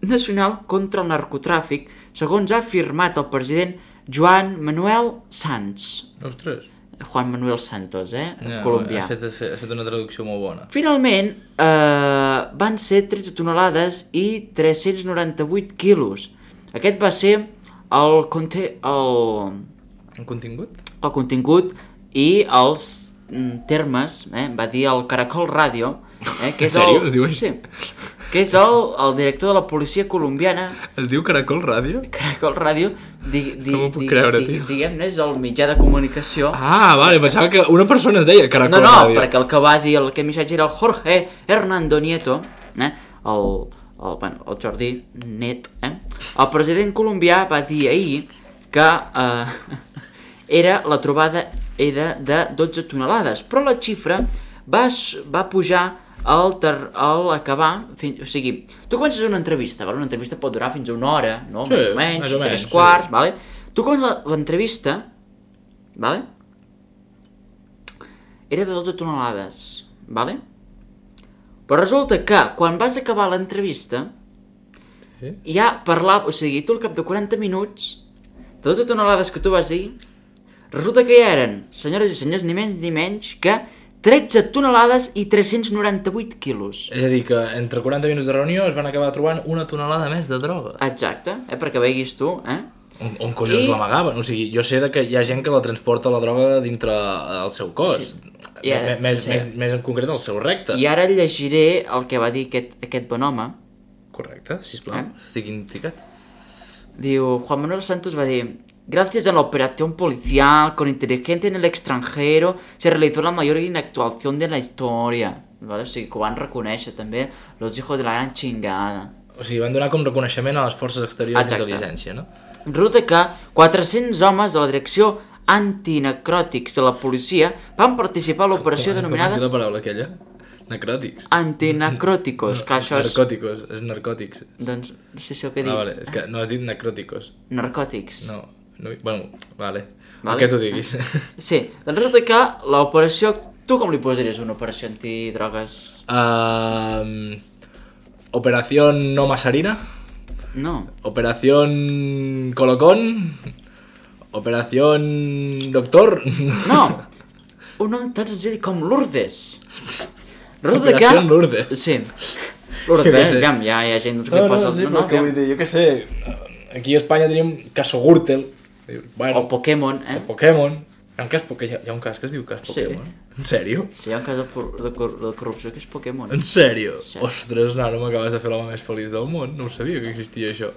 [SPEAKER 3] nacional contra el narcotràfic, segons ha afirmat el president Joan Manuel Santos.
[SPEAKER 2] Ostres.
[SPEAKER 3] Juan Manuel Santos, eh?
[SPEAKER 2] No,
[SPEAKER 3] colombià.
[SPEAKER 2] Ha fet, ha fet una traducció molt bona.
[SPEAKER 3] Finalment, eh, van ser tretze tonelades i tres-cents noranta-vuit quilos. Aquest va ser el, conte el,
[SPEAKER 2] El contingut?
[SPEAKER 3] el contingut i els mm, termes, eh? Va dir el Caracol Ràdio, eh? que és
[SPEAKER 2] En sèrio?
[SPEAKER 3] el,
[SPEAKER 2] Es diu així?
[SPEAKER 3] sí, que és el, el director de la policia colombiana.
[SPEAKER 2] Es diu Caracol Ràdio?
[SPEAKER 3] Caracol Ràdio, di, di,
[SPEAKER 2] No m'ho puc
[SPEAKER 3] di,
[SPEAKER 2] creure,
[SPEAKER 3] di,
[SPEAKER 2] tio.
[SPEAKER 3] diguem-ne, és el mitjà de comunicació.
[SPEAKER 2] Ah, vale, pensava que una persona es deia Caracol
[SPEAKER 3] No, no,
[SPEAKER 2] Ràdio.
[SPEAKER 3] perquè el que va dir el que missatge era el Jorge Hernando Nieto, eh? el, el, bueno, el Jordi Net, eh? El president colombià va dir ahir que eh, era la trobada era de dotze tonelades, però la xifra va, va pujar al, ter, al acabar, fins, o sigui, tu comences una entrevista, vale? Una entrevista pot durar fins a una hora, no?
[SPEAKER 2] Sí,
[SPEAKER 3] més o menys,
[SPEAKER 2] més o menys,
[SPEAKER 3] tres quarts,
[SPEAKER 2] sí.
[SPEAKER 3] vale? Tu comences l'entrevista, vale? Era de dotze tonelades, vale? Però resulta que quan vas acabar l'entrevista
[SPEAKER 2] Sí?
[SPEAKER 3] ja parlava, o sigui, tu al cap de quaranta minuts de dotze tonelades que tu vas dir, resulta que ja eren, senyores i senyors, ni menys ni menys que tretze tonelades i tres-cents noranta-vuit quilos.
[SPEAKER 2] És a dir, que entre quaranta minuts de reunió es van acabar trobant una tonelada més de droga.
[SPEAKER 3] Exacte, eh, perquè veguis tu, eh?
[SPEAKER 2] On, on collons
[SPEAKER 3] I-
[SPEAKER 2] l'amagaven? O sigui, jo sé de que hi ha gent que la transporta la droga dintre el seu cos.
[SPEAKER 3] Sí. ara,
[SPEAKER 2] més,
[SPEAKER 3] sí.
[SPEAKER 2] més, més en concret el seu recte.
[SPEAKER 3] I ara llegiré el que va dir aquest, aquest bon home.
[SPEAKER 2] Correcte, sisplau,
[SPEAKER 3] Eh?
[SPEAKER 2] estic indicat.
[SPEAKER 3] Diu, Juan Manuel Santos va dir: gracias a la operación policial con inteligente en el extranjero se realizó la mayor inactuación de la historia. Vale? O sigui, que ho van reconèixer també los hijos de la gran chingada.
[SPEAKER 2] O sigui, van donar com reconeixement a les forces exteriors
[SPEAKER 3] Exacte.
[SPEAKER 2] d'intel·ligència, no?
[SPEAKER 3] Resulta que quatre-cents homes de la direcció antinecròtics de la policia van participar a l'operació
[SPEAKER 2] Com-
[SPEAKER 3] denominada
[SPEAKER 2] Com es diu la paraula aquella? Necròtics.
[SPEAKER 3] antinecròticos. Clar, això és...
[SPEAKER 2] Narcòticos, és narcòtics.
[SPEAKER 3] Doncs no sé si el que he dit.
[SPEAKER 2] Ah, vale, és que no has dit necròticos.
[SPEAKER 3] Narcòtics.
[SPEAKER 2] No, no, bueno, vale.
[SPEAKER 3] Vale.
[SPEAKER 2] El que tu diguis.
[SPEAKER 3] Sí, doncs resulta que l'operació... Tu com li posaries una operació antidrogues?
[SPEAKER 2] Um, Operación No Masarina.
[SPEAKER 3] No.
[SPEAKER 2] Operación Colocón. Operación Doctor.
[SPEAKER 3] No! Un nom tan senzill com Lourdes. Resulta
[SPEAKER 2] Operació
[SPEAKER 3] que...
[SPEAKER 2] Lourdes.
[SPEAKER 3] Sí. Lourdes,
[SPEAKER 2] Jo què
[SPEAKER 3] bé,
[SPEAKER 2] sé.
[SPEAKER 3] aviam, ja hi ha gent doncs, que
[SPEAKER 2] No, no,
[SPEAKER 3] posa...
[SPEAKER 2] no, sí,
[SPEAKER 3] no,
[SPEAKER 2] però que
[SPEAKER 3] aviam.
[SPEAKER 2] vull dir, jo què sé, aquí a Espanya tenim Caso Gürtel, bueno,
[SPEAKER 3] O Pokémon, eh?
[SPEAKER 2] o Pokémon, hi ha un cas, hi ha un cas que es diu cas
[SPEAKER 3] Sí.
[SPEAKER 2] Pokémon, en sèrio?
[SPEAKER 3] Sí, hi ha un cas de, por- de, cor de corrupció que és Pokémon.
[SPEAKER 2] En sèrio?
[SPEAKER 3] Sí.
[SPEAKER 2] Ostres, nano, m'acabes de fer l'home més feliç del món, no ho sabia que existia això.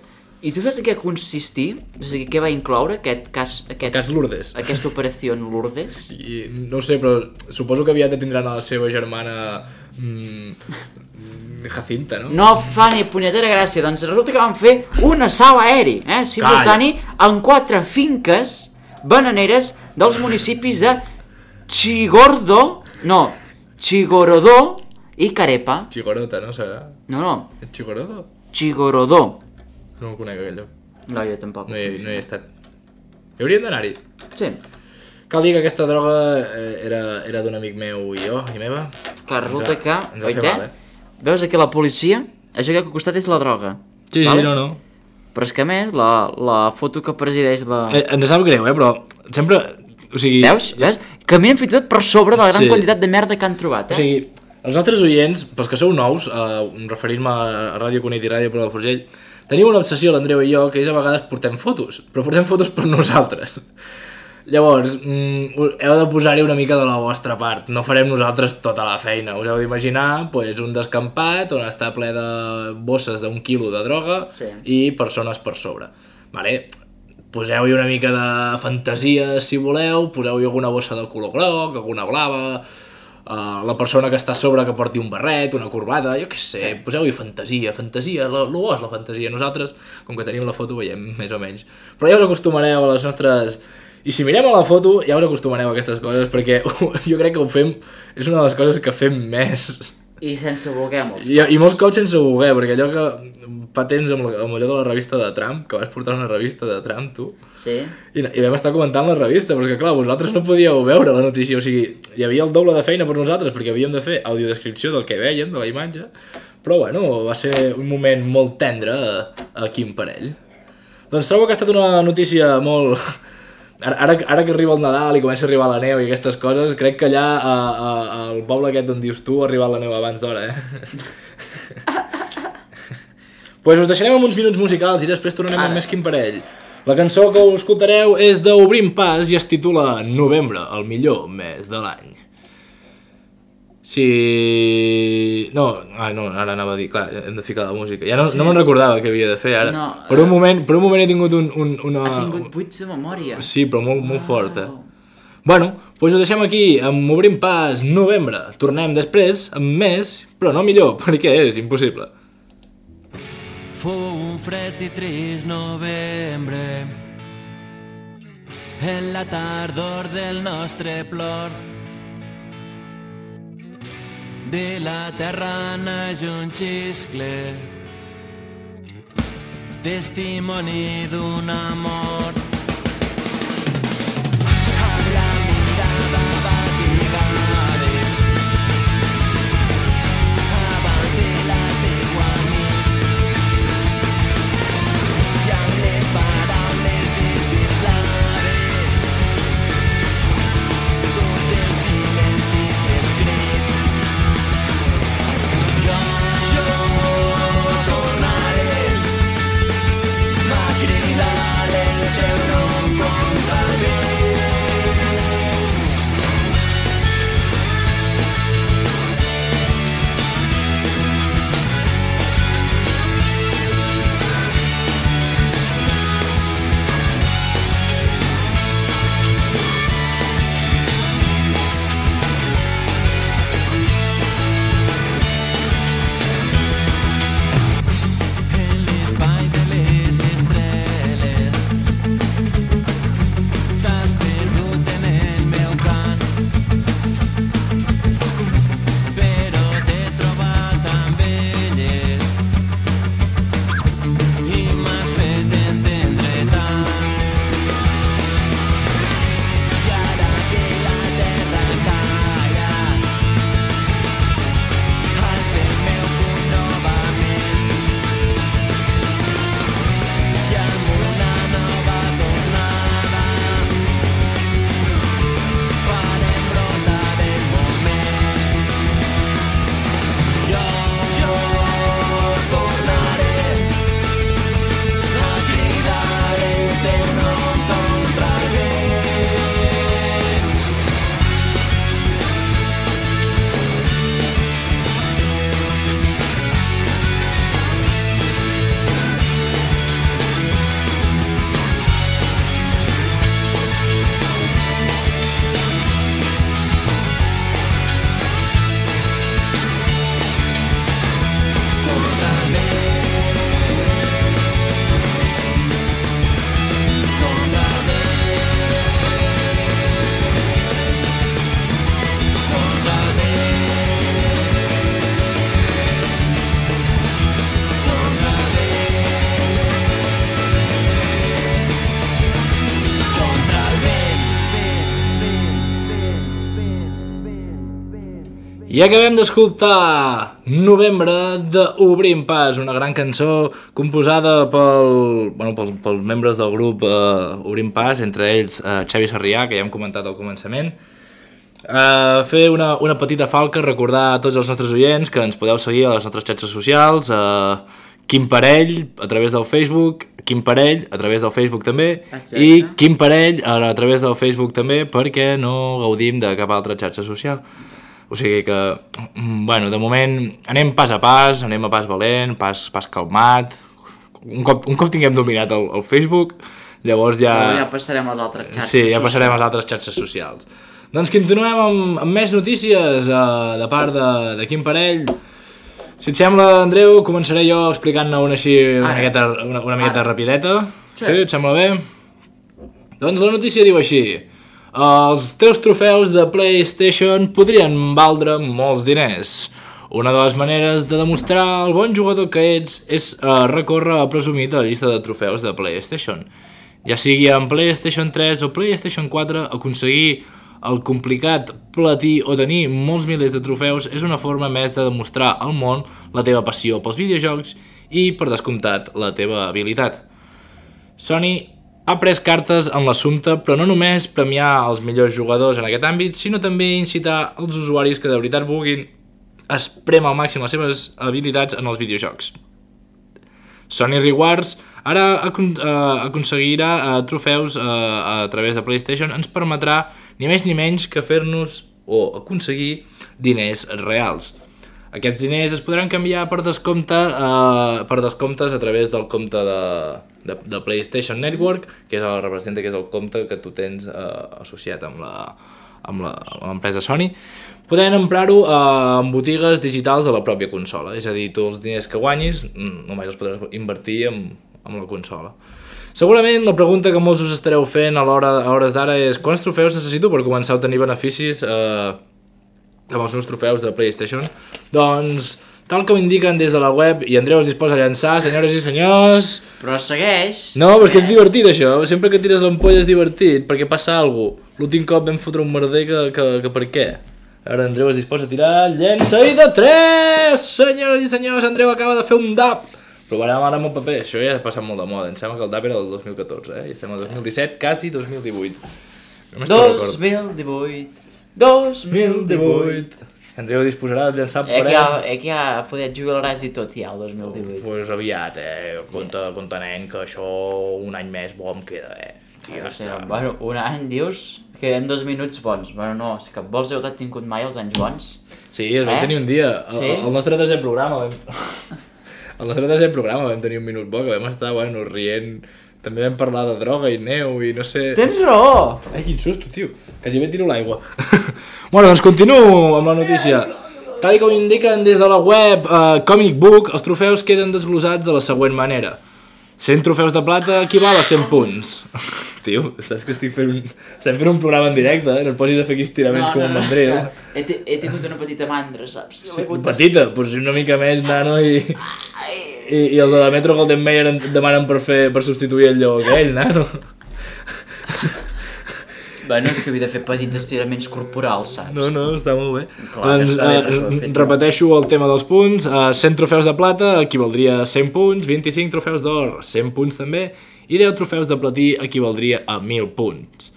[SPEAKER 3] I tu saps en què consistir? O sigui, què va incloure aquest cas... Aquest,
[SPEAKER 2] Cas Lourdes.
[SPEAKER 3] Aquesta operació en Lourdes?
[SPEAKER 2] I, no ho sé, però suposo que aviat tindran a la seva germana mm, Jacinta, no?
[SPEAKER 3] No fa ni punyetera gràcia, doncs resulta que van fer un assalt aeri, eh? Simultani en quatre finques bananeres dels municipis de Chigordo, no, Chigorodó i Carepa.
[SPEAKER 2] Chigorota, no serà?
[SPEAKER 3] No, no,
[SPEAKER 2] Chigorodo?
[SPEAKER 3] Chigorodó.
[SPEAKER 2] No el conec, aquell lloc.
[SPEAKER 3] No, jo tampoc.
[SPEAKER 2] No hi, no hi he estat. Hi hauríem d'anar-hi.
[SPEAKER 3] Sí,
[SPEAKER 2] Cal dir que aquesta droga eh, era, era d'un amic meu i jo, i meva.
[SPEAKER 3] clar, resulta
[SPEAKER 2] Ens
[SPEAKER 3] que,
[SPEAKER 2] va- ens va fer
[SPEAKER 3] oita,
[SPEAKER 2] mal, eh?
[SPEAKER 3] veus aquí la policia, això que al costat és la droga.
[SPEAKER 2] Sí,
[SPEAKER 3] Vale?
[SPEAKER 2] sí, no, no.
[SPEAKER 3] Però és que a més, la, la foto que presideix la...
[SPEAKER 2] Eh, ens sap greu, eh, però sempre... O sigui...
[SPEAKER 3] Veus? Veus? Caminen fins i tot per sobre de la gran
[SPEAKER 2] Sí.
[SPEAKER 3] quantitat de merda que han trobat,
[SPEAKER 2] O
[SPEAKER 3] eh?
[SPEAKER 2] sigui, els nostres oients, pels que sou nous, eh, referint-me a Ràdio Cunit i Ràdio Palafrugell, teniu una obsessió, l'Andreu i jo, que és a vegades portem fotos, però portem fotos per nosaltres. Llavors, mm, heu de posar-hi una mica de la vostra part. No farem nosaltres tota la feina. Us heu d'imaginar pues, un descampat on està ple de bosses d'un quilo de droga
[SPEAKER 3] Sí.
[SPEAKER 2] i persones per sobre. Vale? Poseu-hi una mica de fantasia, si voleu, poseu-hi alguna bossa de color groc, alguna blava, uh, la persona que està a sobre que porti un barret, una corbata, jo què sé, sí. Poseu-hi fantasia, fantasia, el bo és la fantasia. Nosaltres, com que tenim la foto, veiem més o menys. Però ja us acostumareu a les nostres... I si mirem a la foto, ja us acostumareu a aquestes coses, perquè jo crec que ho fem... És una de les coses que fem més.
[SPEAKER 3] I sense voler molts.
[SPEAKER 2] I, i molts cops sense voler, perquè allò que fa temps amb, la, amb allò de la revista de Trump, que vas portar una revista de Trump, tu,
[SPEAKER 3] Sí?
[SPEAKER 2] i, i vam estar comentant la revista, però és que clar, vosaltres no podíeu veure la notícia, o sigui, hi havia el doble de feina per nosaltres, perquè havíem de fer audiodescripció del que veiem, de la imatge, però bueno, va ser un moment molt tendre a, a Quim Parell. Doncs trobo que ha estat una notícia molt... Ara, ara, ara que arriba el Nadal i comença a arribar la neu i aquestes coses, crec que allà a, a, al poble aquest on dius tu ha arribat la neu abans d'hora, eh? Pues us deixarem amb uns minuts musicals i després tornarem
[SPEAKER 3] Ara.
[SPEAKER 2] amb més Quim Parell. La cançó que us escoltareu és d'Obrim Pas i es titula Novembre, el millor mes de l'any. Si... No, ah, no, ara anava a dir, clar, hem de ficar la música. Ja no,
[SPEAKER 3] Sí.
[SPEAKER 2] no me'n recordava què havia de fer ara.
[SPEAKER 3] No,
[SPEAKER 2] per, un moment, per un moment he tingut un, un, una...
[SPEAKER 3] Ha tingut buits de memòria.
[SPEAKER 2] Sí, però molt, molt fort, eh?
[SPEAKER 3] Wow.
[SPEAKER 2] Bueno, doncs ho deixem aquí, amb Obrim Pas, novembre. Tornem després amb més, però no millor, perquè és impossible.
[SPEAKER 4] Fou un fred i trist novembre, en la tardor del nostre plor. De la terra naix un xiscle, testimoni d'un amor. Amb la mirada batigades, abans de la teua nit, i amb les paraules desvirlades, tots els silencis i els crits. Jo, jo tornaré a cridar el teu
[SPEAKER 2] I acabem d'escoltar Novembre d'Obrim Pas, una gran cançó composada pel, bueno, pels, pels membres del grup uh, Obrim Pas, entre ells uh, Xavi Sarrià, que ja hem comentat al començament. Uh, fer una, una petita falca, recordar a tots els nostres oients que ens podeu seguir a les nostres xarxes socials, uh, Quim Parell a través del Facebook, Quim Parell a través del Facebook també, exacte. I Quim Parell a, a través del Facebook també, perquè no gaudim de cap altra xarxa social. O sigui que, bueno, de moment anem pas a pas, anem a pas valent, pas, pas calmat. Un cop, un cop tinguem dominat el, el Facebook, llavors ja...
[SPEAKER 3] Però ja passarem a les altres xarxes
[SPEAKER 2] Sí, ja
[SPEAKER 3] socials.
[SPEAKER 2] passarem a les altres xarxes socials. Doncs continuem amb, amb més notícies uh, de part de, de Quim Parell. Si et sembla, Andreu, començaré jo explicant-ne una així una
[SPEAKER 3] Ara.
[SPEAKER 2] miqueta, una, una miqueta
[SPEAKER 3] Ara.
[SPEAKER 2] rapideta.
[SPEAKER 3] Sí.
[SPEAKER 2] Sí, et sembla bé? Doncs la notícia diu així: els teus trofeus de PlayStation podrien valdre molts diners. Una de les maneres de demostrar el bon jugador que ets és uh, recórrer a presumir de la llista de trofeus de PlayStation. Ja sigui en PlayStation tres o PlayStation quatre, aconseguir el complicat platí o tenir molts milers de trofeus és una forma més de demostrar al món la teva passió pels videojocs i, per descomptat, la teva habilitat. Sony ha pres cartes en l'assumpte, però no només premiar els millors jugadors en aquest àmbit, sinó també incitar els usuaris que de veritat vulguin espremar al màxim les seves habilitats en els videojocs. Sony Rewards ara acon uh, aconseguirà uh, trofeus uh, a través de PlayStation, ens permetrà ni més ni menys que fer-nos o aconseguir diners reals. Aquests diners es podran canviar per descompte uh, per descomptes a través del compte de, de, de PlayStation Network, que és el, representa que és el compte que tu tens uh, associat amb la amb l'empresa Sony, podent emprar-ho uh, en botigues digitals de la pròpia consola. És a dir, tu els diners que guanyis només els podràs invertir en, en la consola. Segurament la pregunta que molts us estareu fent a, l'hora, a hores d'ara és: quants trofeus necessito per començar a tenir beneficis eh, amb els meus trofeus de PlayStation? Doncs, tal com indiquen des de la web, i Andreu es disposa a llançar, senyores i senyors...
[SPEAKER 3] Però segueix...
[SPEAKER 2] No, perquè és divertit això, sempre que tires l'ampolla és divertit, perquè passa alguna cosa. L'últim cop vam fotre un merder que, que, que per què? Ara Andreu es disposa a tirar, llença i de tres! Senyores i senyors, Andreu acaba de fer un dap! Provarem ara amb el paper, això ja ha passat molt de moda, em sembla que el dap era del dos mil catorze, eh? I estem al dos mil disset, quasi dos mil divuit.
[SPEAKER 3] dos mil divuit, dos mil divuit...
[SPEAKER 2] Andreu disposarà de llançar
[SPEAKER 3] Eh
[SPEAKER 2] per
[SPEAKER 3] que, ja, eh que ja poder jugaràs i tot ja el dos mil divuit.
[SPEAKER 2] Pues aviat, eh? Compte, compte nen, que això un any més bo em queda, eh? I ja
[SPEAKER 3] O sigui,
[SPEAKER 2] està.
[SPEAKER 3] bueno, un any dius que en dos minuts bons. Bueno, no, és que vols heu tingut mai els anys bons?
[SPEAKER 2] Sí, es vam
[SPEAKER 3] Eh?
[SPEAKER 2] tenir un dia. El,
[SPEAKER 3] Sí?
[SPEAKER 2] el nostre desè programa vam... El nostre desè programa vam tenir un minut bo, que vam estar, bueno, rient. També vam parlar de droga i neu i no sé...
[SPEAKER 3] Tens raó!
[SPEAKER 2] Ai, quin susto, tio. Quasi bé tiro l'aigua. Bueno, doncs continuo amb la notícia. Tal com indiquen des de la web uh, Comic Book, els trofeus queden desglosats de la següent manera. cent trofeus de plata equival a cent punts. Tio, saps que estic fent un... estem fent un programa en directe, eh? No et posis a fer aquí estiraments com un mandril.
[SPEAKER 3] és que he, t- he tingut una petita mandra, saps?
[SPEAKER 2] Sí, petita, doncs una mica més, nano, i... I, i els de la Metro Golden Mayer et demanen per fer per substituir el lleó aquell, nano.
[SPEAKER 3] Bueno, és que havia de fer petits estiraments corporals, saps?
[SPEAKER 2] No, no, està molt bé.
[SPEAKER 3] Clar,
[SPEAKER 2] doncs,
[SPEAKER 3] està bé,
[SPEAKER 2] eh,
[SPEAKER 3] però fet-
[SPEAKER 2] repeteixo el tema dels punts. Uh, cent trofeus de plata equivaldria a cent punts, vint-i-cinc trofeus d'or, cent punts també, i deu trofeus de platí equivaldria a mil punts.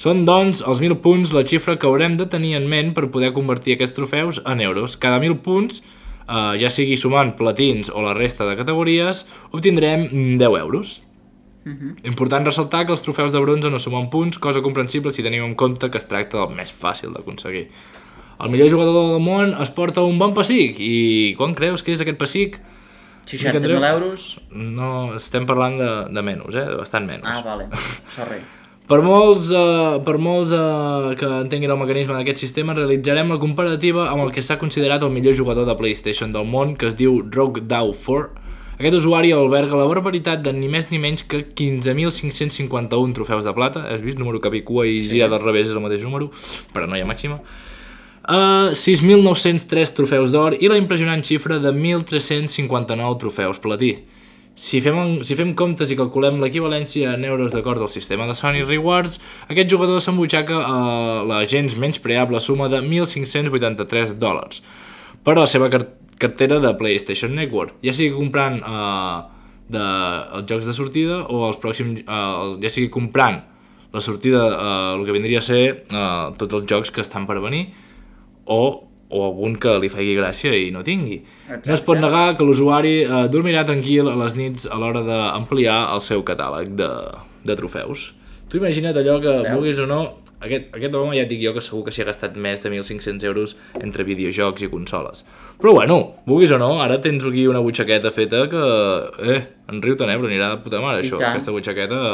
[SPEAKER 2] Són, doncs, els mil punts la xifra que haurem de tenir en ment per poder convertir aquests trofeus en euros. Cada mil punts, uh, ja sigui sumant platins o la resta de categories, obtindrem deu euros. Uh-huh. Important ressaltar que els trofeus de bronze no sumen punts, cosa comprensible si tenim en compte que es tracta del més fàcil d'aconseguir. El millor jugador del món es porta un bon pessic, i quan creus que és aquest pessic?
[SPEAKER 3] seixanta mil euros?
[SPEAKER 2] No, estem parlant de, de menys, eh? De bastant menys.
[SPEAKER 3] Ah, vale, sorry.
[SPEAKER 2] Per molts, uh, per molts uh, que entenguin el mecanisme d'aquest sistema, realitzarem la comparativa amb el que s'ha considerat el millor jugador de PlayStation del món, que es diu RogueDaw quatre. Aquest usuari alberga la barbaritat de ni més ni menys que quinze mil cinc-cents cinquanta-un trofeus de plata. Has vist? Número capicua i sí. Gira del revés és el mateix número, paranoia màxima. Uh, sis mil nou-cents tres trofeus d'or i la impressionant xifra de mil tres-cents cinquanta-nou trofeus platí. Si fem, si fem comptes i calculem l'equivalència en euros d'acord al sistema de Sony Rewards, aquest jugador s'embutxaca a la gens menys preable suma de mil cinc-cents vuitanta-tres dòlars per a la seva cartera de PlayStation Network, ja sigui comprant uh, de, els jocs de sortida o els pròxims, uh, ja sigui comprant la sortida, uh, el que vindria a ser uh, tots els jocs que estan per venir o o algun que li faci gràcia i no tingui. Exacte. No es pot negar que l'usuari eh, dormirà tranquil a les nits a l'hora d'ampliar el seu catàleg de, de trofeus. Tu imagina't allò que, Veus? vulguis o no, aquest, aquest home ja et dic jo que segur que s'hi ha gastat més de mil cinc-cents euros entre videojocs i consoles. Però bueno, vulguis o no, ara tens aquí una butxaqueta feta que, eh, en riu te nebra, anirà de puta mare això. Aquesta butxaqueta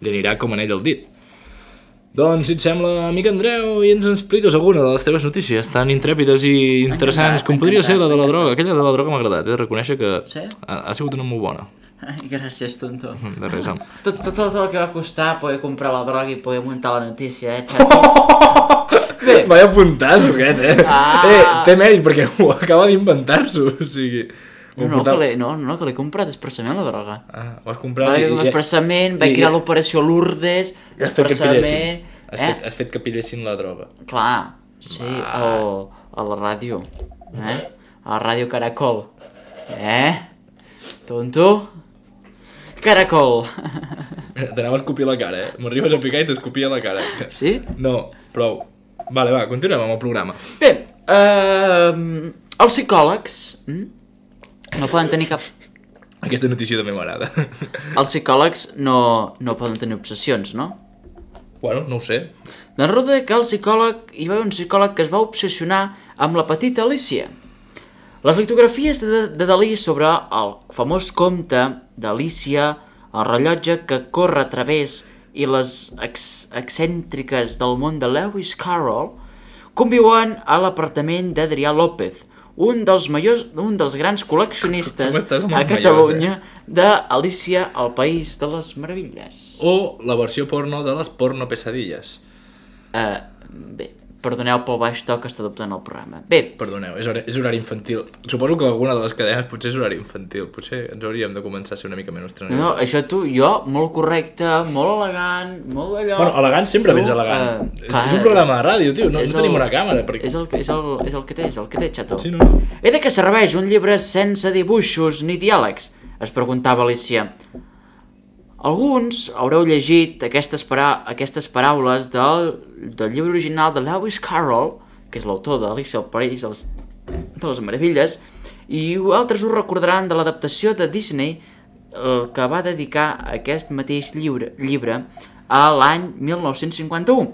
[SPEAKER 2] li anirà com anell al dit. Doncs, si et sembla, amic Andreu, i ens expliques alguna de les teves notícies tan intrèpides i interessants encantat, com podria encantat, ser la de la droga. Aquella de la droga m'ha agradat, he de reconèixer que sí? ha, ha sigut una molt bona.
[SPEAKER 3] Ai, gràcies, tonto.
[SPEAKER 2] De res, home.
[SPEAKER 3] Tot, tot, tot el que va costar poder comprar la droga i poder muntar la notícia, eh, xato?
[SPEAKER 2] Bé. Vaya puntasso aquest, eh? Ah. Eh, té mèrit perquè ho acaba d'inventar-s'ho, o sigui...
[SPEAKER 3] No, no, que l'he, no, no, que l'he comprat expressament, la droga.
[SPEAKER 2] Ah, ho has comprat
[SPEAKER 3] i... Expressament, vaig crear l'operació Lourdes, expressament...
[SPEAKER 2] Has, eh? fet, has fet que pillessin la droga.
[SPEAKER 3] Clar, sí, o a la ràdio, eh? A la ràdio Caracol. Eh? Tonto? Caracol.
[SPEAKER 2] Mira, t'anava a escopir la cara, eh? M'arribes a picar i t'escopia la cara.
[SPEAKER 3] Sí?
[SPEAKER 2] No, prou. Vale, va, continuem amb el programa.
[SPEAKER 3] Bé, uh, els psicòlegs mm, no poden tenir cap...
[SPEAKER 2] Aquesta notícia també m'agrada.
[SPEAKER 3] Els psicòlegs no, no poden tenir obsessions, no?
[SPEAKER 2] Bueno, no ho sé.
[SPEAKER 3] Doncs resulta que el psicòleg, hi va haver un psicòleg que es va obsessionar amb la petita Alicia. Les litografies de, de Dalí sobre el famós conte d'Alicia, el rellotge que corre a través i les ex excèntriques del món de Lewis Carroll conviuen a l'apartament d'Adrià López, un dels majors, un dels grans col·leccionistes a Catalunya majors, eh? d'Alicia al País de les Meravilles.
[SPEAKER 2] O la versió porno de les porno pesadilles.
[SPEAKER 3] Uh, bé, perdoneu pel baix to que està adoptant el programa. Bé.
[SPEAKER 2] Perdoneu, és horari, és horari infantil. Suposo que alguna de les cadenes potser és horari infantil. Potser ens hauríem de començar a ser una mica menys treneus.
[SPEAKER 3] No, això tu, jo, molt correcte, molt elegant, molt d'allò...
[SPEAKER 2] Bueno, elegant sempre vens elegant. Uh, és, clar, és un programa de ràdio, tio, no, no tenim el, una càmera. Perquè...
[SPEAKER 3] És, el, és, el, és el que té, és el que té, xato.
[SPEAKER 2] Sí, no, no.
[SPEAKER 3] He de que serveix un llibre sense dibuixos ni diàlegs? Es preguntava Alicia. Alguns haureu llegit aquestes, para aquestes paraules del, del llibre original de Lewis Carroll, que és l'autor d'Alicia al País de les, de les Meravilles, i altres us recordaran de l'adaptació de Disney, el que va dedicar aquest mateix llibre, llibre a l'any mil nou-cents cinquanta-u.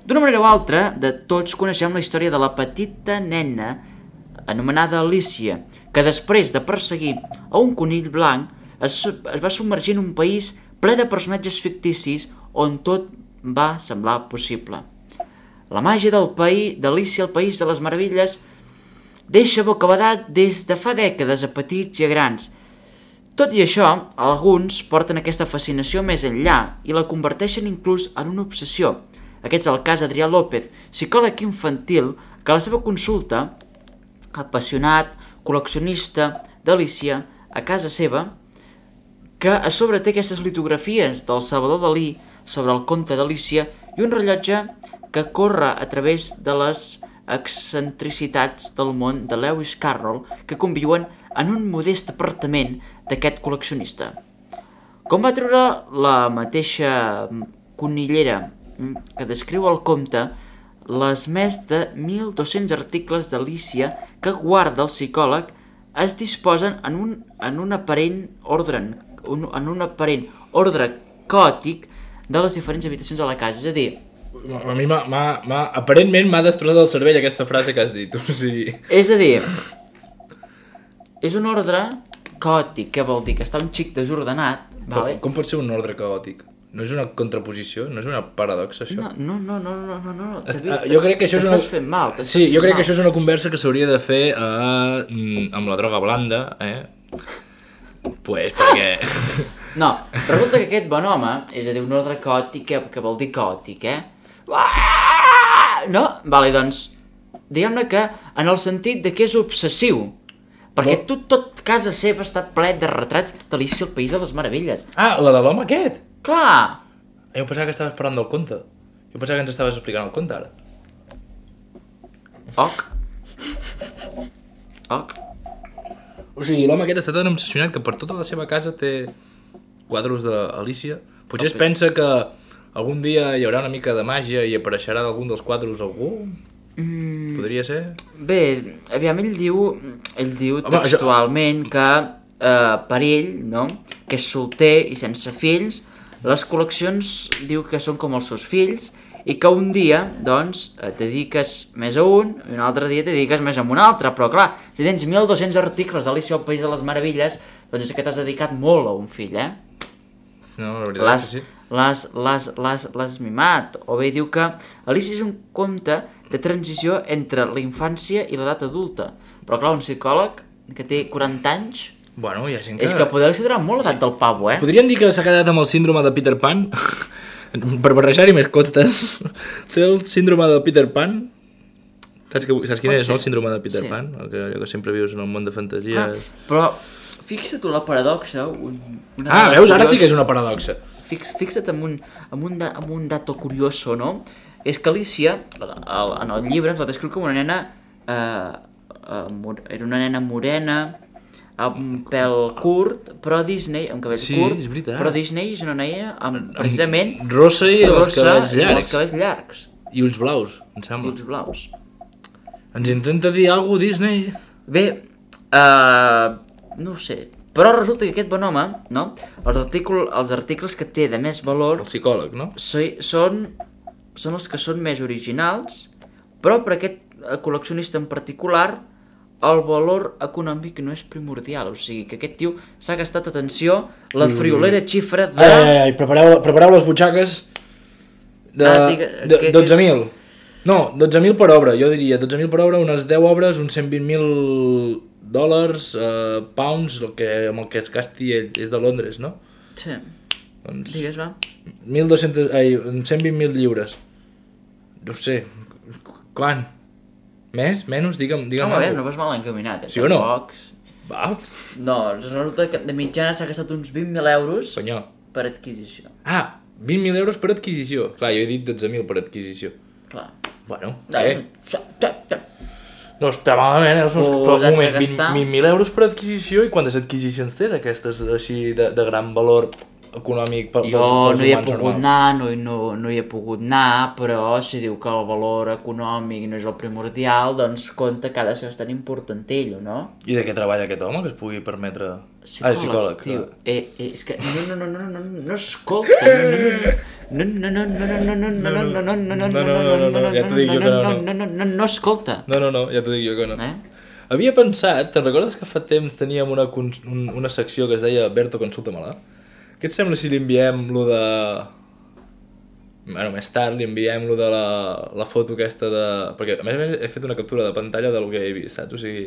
[SPEAKER 3] D'una manera o altra, de tots coneixem la història de la petita nena anomenada Alicia, que després de perseguir a un conill blanc es, es va submergir en un país ple de personatges ficticis on tot va semblar possible. La màgia del país, d'Alicia al País de les Meravilles deixa bocabadat des de fa dècades a petits i a grans. Tot i això, alguns porten aquesta fascinació més enllà i la converteixen inclús en una obsessió. Aquest és el cas d'Adrià López, psicòleg infantil, que a la seva consulta, apassionat, col·leccionista d'Alicia, a casa seva, que a sobre té aquestes litografies del Salvador Dalí sobre el conte d'Alicia i un rellotge que corre a través de les excentricitats del món de Lewis Carroll que conviuen en un modest apartament d'aquest col·leccionista. Com va treure la mateixa conillera que descriu el conte, les més de mil dos-cents articles d'Alicia que guarda el psicòleg es disposen en un, en un aparent ordre un, en un aparent ordre caòtic de les diferents habitacions de la casa. És a dir...
[SPEAKER 2] A mi m'ha, m'ha, m'ha, aparentment m'ha destrossat el cervell aquesta frase que has dit. O sigui...
[SPEAKER 3] És a dir, és un ordre caòtic, que vol dir que està un xic desordenat. Vale?
[SPEAKER 2] Com, com pot ser un ordre caòtic? No és una contraposició? No és una paradoxa, això?
[SPEAKER 3] No, no, no, no, no, no.
[SPEAKER 2] Est uh, jo crec que això és una...
[SPEAKER 3] fent mal.
[SPEAKER 2] Sí, jo crec mal. que això és una conversa que s'hauria de fer uh, amb la droga blanda, eh? Pues perquè...
[SPEAKER 3] No, resulta que aquest bon home, és a dir, un ordre caòtic, que, que vol dir caòtic, eh? No? Vale, doncs, diguem-ne que en el sentit de que és obsessiu. Perquè
[SPEAKER 2] No.
[SPEAKER 3] tu, tot casa seva està ple de retrats d'Alícia al País de les Meravelles.
[SPEAKER 2] Ah, la de l'home aquest?
[SPEAKER 3] Clar!
[SPEAKER 2] Jo pensava que estaves parlant del conte. Jo pensava que ens estaves explicant el conte, ara.
[SPEAKER 3] Oc. Oc.
[SPEAKER 2] O sigui, l'home aquest està tan obsessionat que per tota la seva casa té quadros d'Alícia. Potser es pensa que algun dia hi haurà una mica de màgia i apareixerà d'algun dels quadros algú?
[SPEAKER 3] Mm,
[SPEAKER 2] Podria ser?
[SPEAKER 3] bé, aviam, ell diu, ell diu
[SPEAKER 2] Home,
[SPEAKER 3] textualment que eh, per ell, no?, que és solter i sense fills, les col·leccions diu que són com els seus fills i que un dia, doncs, et dediques més a un i un altre dia et dediques més a un altre. Però clar, si tens mil dos-cents articles d'Alícia al País de les Meravelles, doncs és que t'has dedicat molt a un fill, eh?
[SPEAKER 2] No, la veritat
[SPEAKER 3] L'has
[SPEAKER 2] és que sí.
[SPEAKER 3] l'has- l'has- l'has- l'has mimat. O bé diu que Alícia és un conte de transició entre la infància i l'edat adulta. Però clar, un psicòleg que té quaranta anys...
[SPEAKER 2] Bueno, hi ha gent que...
[SPEAKER 3] És que poder accederà molt l'edat del pavo, eh?
[SPEAKER 2] Podríem dir que s'ha quedat amb el síndrome de Peter Pan? Per barrejar-hi més contes. Té el síndrome de Peter Pan? Saps, que, saps quin
[SPEAKER 3] Pot
[SPEAKER 2] és,
[SPEAKER 3] ser.
[SPEAKER 2] no? El síndrome de Peter
[SPEAKER 3] Sí.
[SPEAKER 2] Pan? El que, allò que sempre vius en el món de fantasies...
[SPEAKER 3] Clar, però fixa't tu la paradoxa... Un, una
[SPEAKER 2] Ah,
[SPEAKER 3] dada
[SPEAKER 2] veus? Ara sí
[SPEAKER 3] curiosa.
[SPEAKER 2] que és una paradoxa.
[SPEAKER 3] Fix, fixa't en un, en, un, da- en un dato curioso, no? És que Alícia, el, en el llibre, ens la descriu com una nena... Eh, eh, mor- era una nena morena, amb un pèl curt, però Disney, amb cabells
[SPEAKER 2] Sí,
[SPEAKER 3] curt,
[SPEAKER 2] és veritat.
[SPEAKER 3] però Disney és una noia amb, precisament,
[SPEAKER 2] Rossa i els
[SPEAKER 3] rossa
[SPEAKER 2] cabells
[SPEAKER 3] i amb els
[SPEAKER 2] llargs.
[SPEAKER 3] cabells llargs
[SPEAKER 2] I ulls blaus, em
[SPEAKER 3] i
[SPEAKER 2] sembla.
[SPEAKER 3] ulls blaus.
[SPEAKER 2] Ens intenta dir alguna cosa, Disney?
[SPEAKER 3] Bé, eh, no ho sé, però resulta que aquest bon home, no? Els, articul, els articles que té de més valor
[SPEAKER 2] El psicòleg, no?
[SPEAKER 3] so, són, són els que són més originals, però per aquest eh, col·leccionista en particular el valor econòmic no és primordial. O sigui que aquest tio s'ha gastat, atenció, la friolera xifra de...
[SPEAKER 2] Ai, ai, ai, prepareu, prepareu les butxaques de,
[SPEAKER 3] Ah, digue-
[SPEAKER 2] de
[SPEAKER 3] que-
[SPEAKER 2] dotze mil. No, dotze mil per obra, jo diria. dotze mil per obra, unes deu obres, uns cent vint mil dòlars, eh, pounds, el que, amb el que es gasti ell, és de Londres, no?
[SPEAKER 3] Sí,
[SPEAKER 2] Doncs
[SPEAKER 3] digues, va.
[SPEAKER 2] mil dos-cents, ai, cent vint mil lliures. No ho sé, quan? Més? Menys? Digue'm, digue'm
[SPEAKER 3] Home, bé,
[SPEAKER 2] alguna
[SPEAKER 3] no vas mal encaminat, eh?
[SPEAKER 2] Sí o no?
[SPEAKER 3] Tampoc.
[SPEAKER 2] Va,
[SPEAKER 3] No, resulta que de mitjana s'ha gastat uns vint mil euros
[SPEAKER 2] senyor.
[SPEAKER 3] per adquisició.
[SPEAKER 2] Ah, vint mil euros per adquisició. Clar, jo he dit dotze mil per adquisició.
[SPEAKER 3] Clar.
[SPEAKER 2] Bueno,
[SPEAKER 3] Eh.
[SPEAKER 2] eh, no està malament, eh? Els meus...
[SPEAKER 3] Posats
[SPEAKER 2] Però un
[SPEAKER 3] a
[SPEAKER 2] moment,
[SPEAKER 3] gastar.
[SPEAKER 2] vint mil euros per adquisició, i quantes adquisicions tenen aquestes així de, de gran valor econòmic per,
[SPEAKER 3] Jo
[SPEAKER 2] pels, pels
[SPEAKER 3] no hi he
[SPEAKER 2] humans
[SPEAKER 3] pogut
[SPEAKER 2] normals?
[SPEAKER 3] anar, no, no, no hi he pogut anar, però si diu que el valor econòmic no és el primordial, doncs compta que ha de ser bastant importantell, o no?
[SPEAKER 2] I de què treballa aquest home, que es pugui permetre... Ah, és psicòleg.
[SPEAKER 3] tio.
[SPEAKER 2] clar.
[SPEAKER 3] Eh, eh, és que no, no, no, no, no, no, no escolta, no, no, no, no, no, no, no, no, no, no, no, no, no, no,
[SPEAKER 2] no, no, no, ja t'ho dic jo que no, no.
[SPEAKER 3] no, no, no, no, escolta.
[SPEAKER 2] No, no, no, ja t'ho dic jo que no.
[SPEAKER 3] Eh?
[SPEAKER 2] Havia pensat, te'n recordes que fa temps teníem una, cons- un, una secció que es deia Berto, consulta-me-la? Què et sembla si li enviem lo de... Bueno, més tard li enviem lo de la, la foto aquesta de... Perquè a més a més he fet una captura de pantalla del que he vist, saps? O sigui,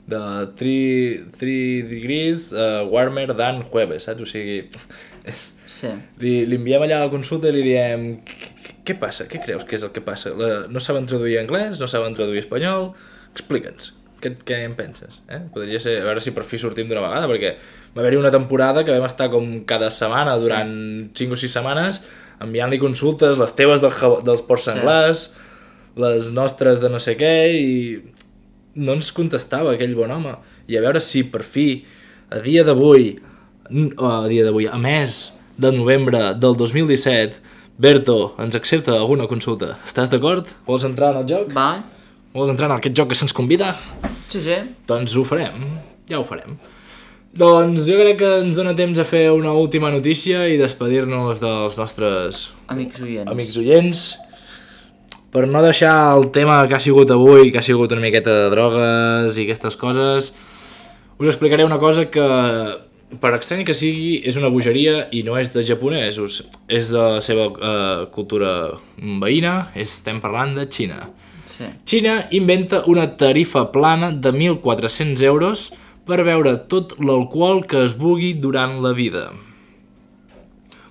[SPEAKER 2] de three degrees uh, warmer than jueves, saps? O sigui,
[SPEAKER 3] Sí.
[SPEAKER 2] li, li enviem allà a la consulta i li diem... "Què- Què passa? Què creus que és el que passa? La, no saben traduir anglès? No saben traduir espanyol? Explica'ns. Què, què en penses? Eh? Podria ser, a veure si per fi sortim d'una vegada, perquè va haver-hi una temporada que vam estar com cada setmana durant cinc o sis setmanes enviant-li consultes, les teves del, ja- dels ports
[SPEAKER 3] Sí.
[SPEAKER 2] senglars, les nostres de no sé què, i no ens contestava aquell bon home. I a veure si per fi, a dia d'avui, n- a dia d'avui, a mes de novembre del dos mil disset, Berto ens accepta alguna consulta. Estàs d'acord? Vols entrar en el joc?
[SPEAKER 3] Va,
[SPEAKER 2] Vols entrar en aquest joc que se'ns convida?
[SPEAKER 3] sí, sí.
[SPEAKER 2] Doncs ho farem, ja ho farem. Doncs jo crec que ens dona temps a fer una última notícia i despedir-nos dels nostres
[SPEAKER 3] Amics oients.
[SPEAKER 2] amics oients. Per no deixar el tema que ha sigut avui, que ha sigut una miqueta de drogues i aquestes coses, us explicaré una cosa que, per estrany que sigui, és una bogeria i no és de japonesos, és de la seva eh, cultura veïna, estem parlant de Xina.
[SPEAKER 3] Sí.
[SPEAKER 2] Xina inventa una tarifa plana de mil quatre-cents euros per beure tot l'alcohol que es vulgui durant la vida.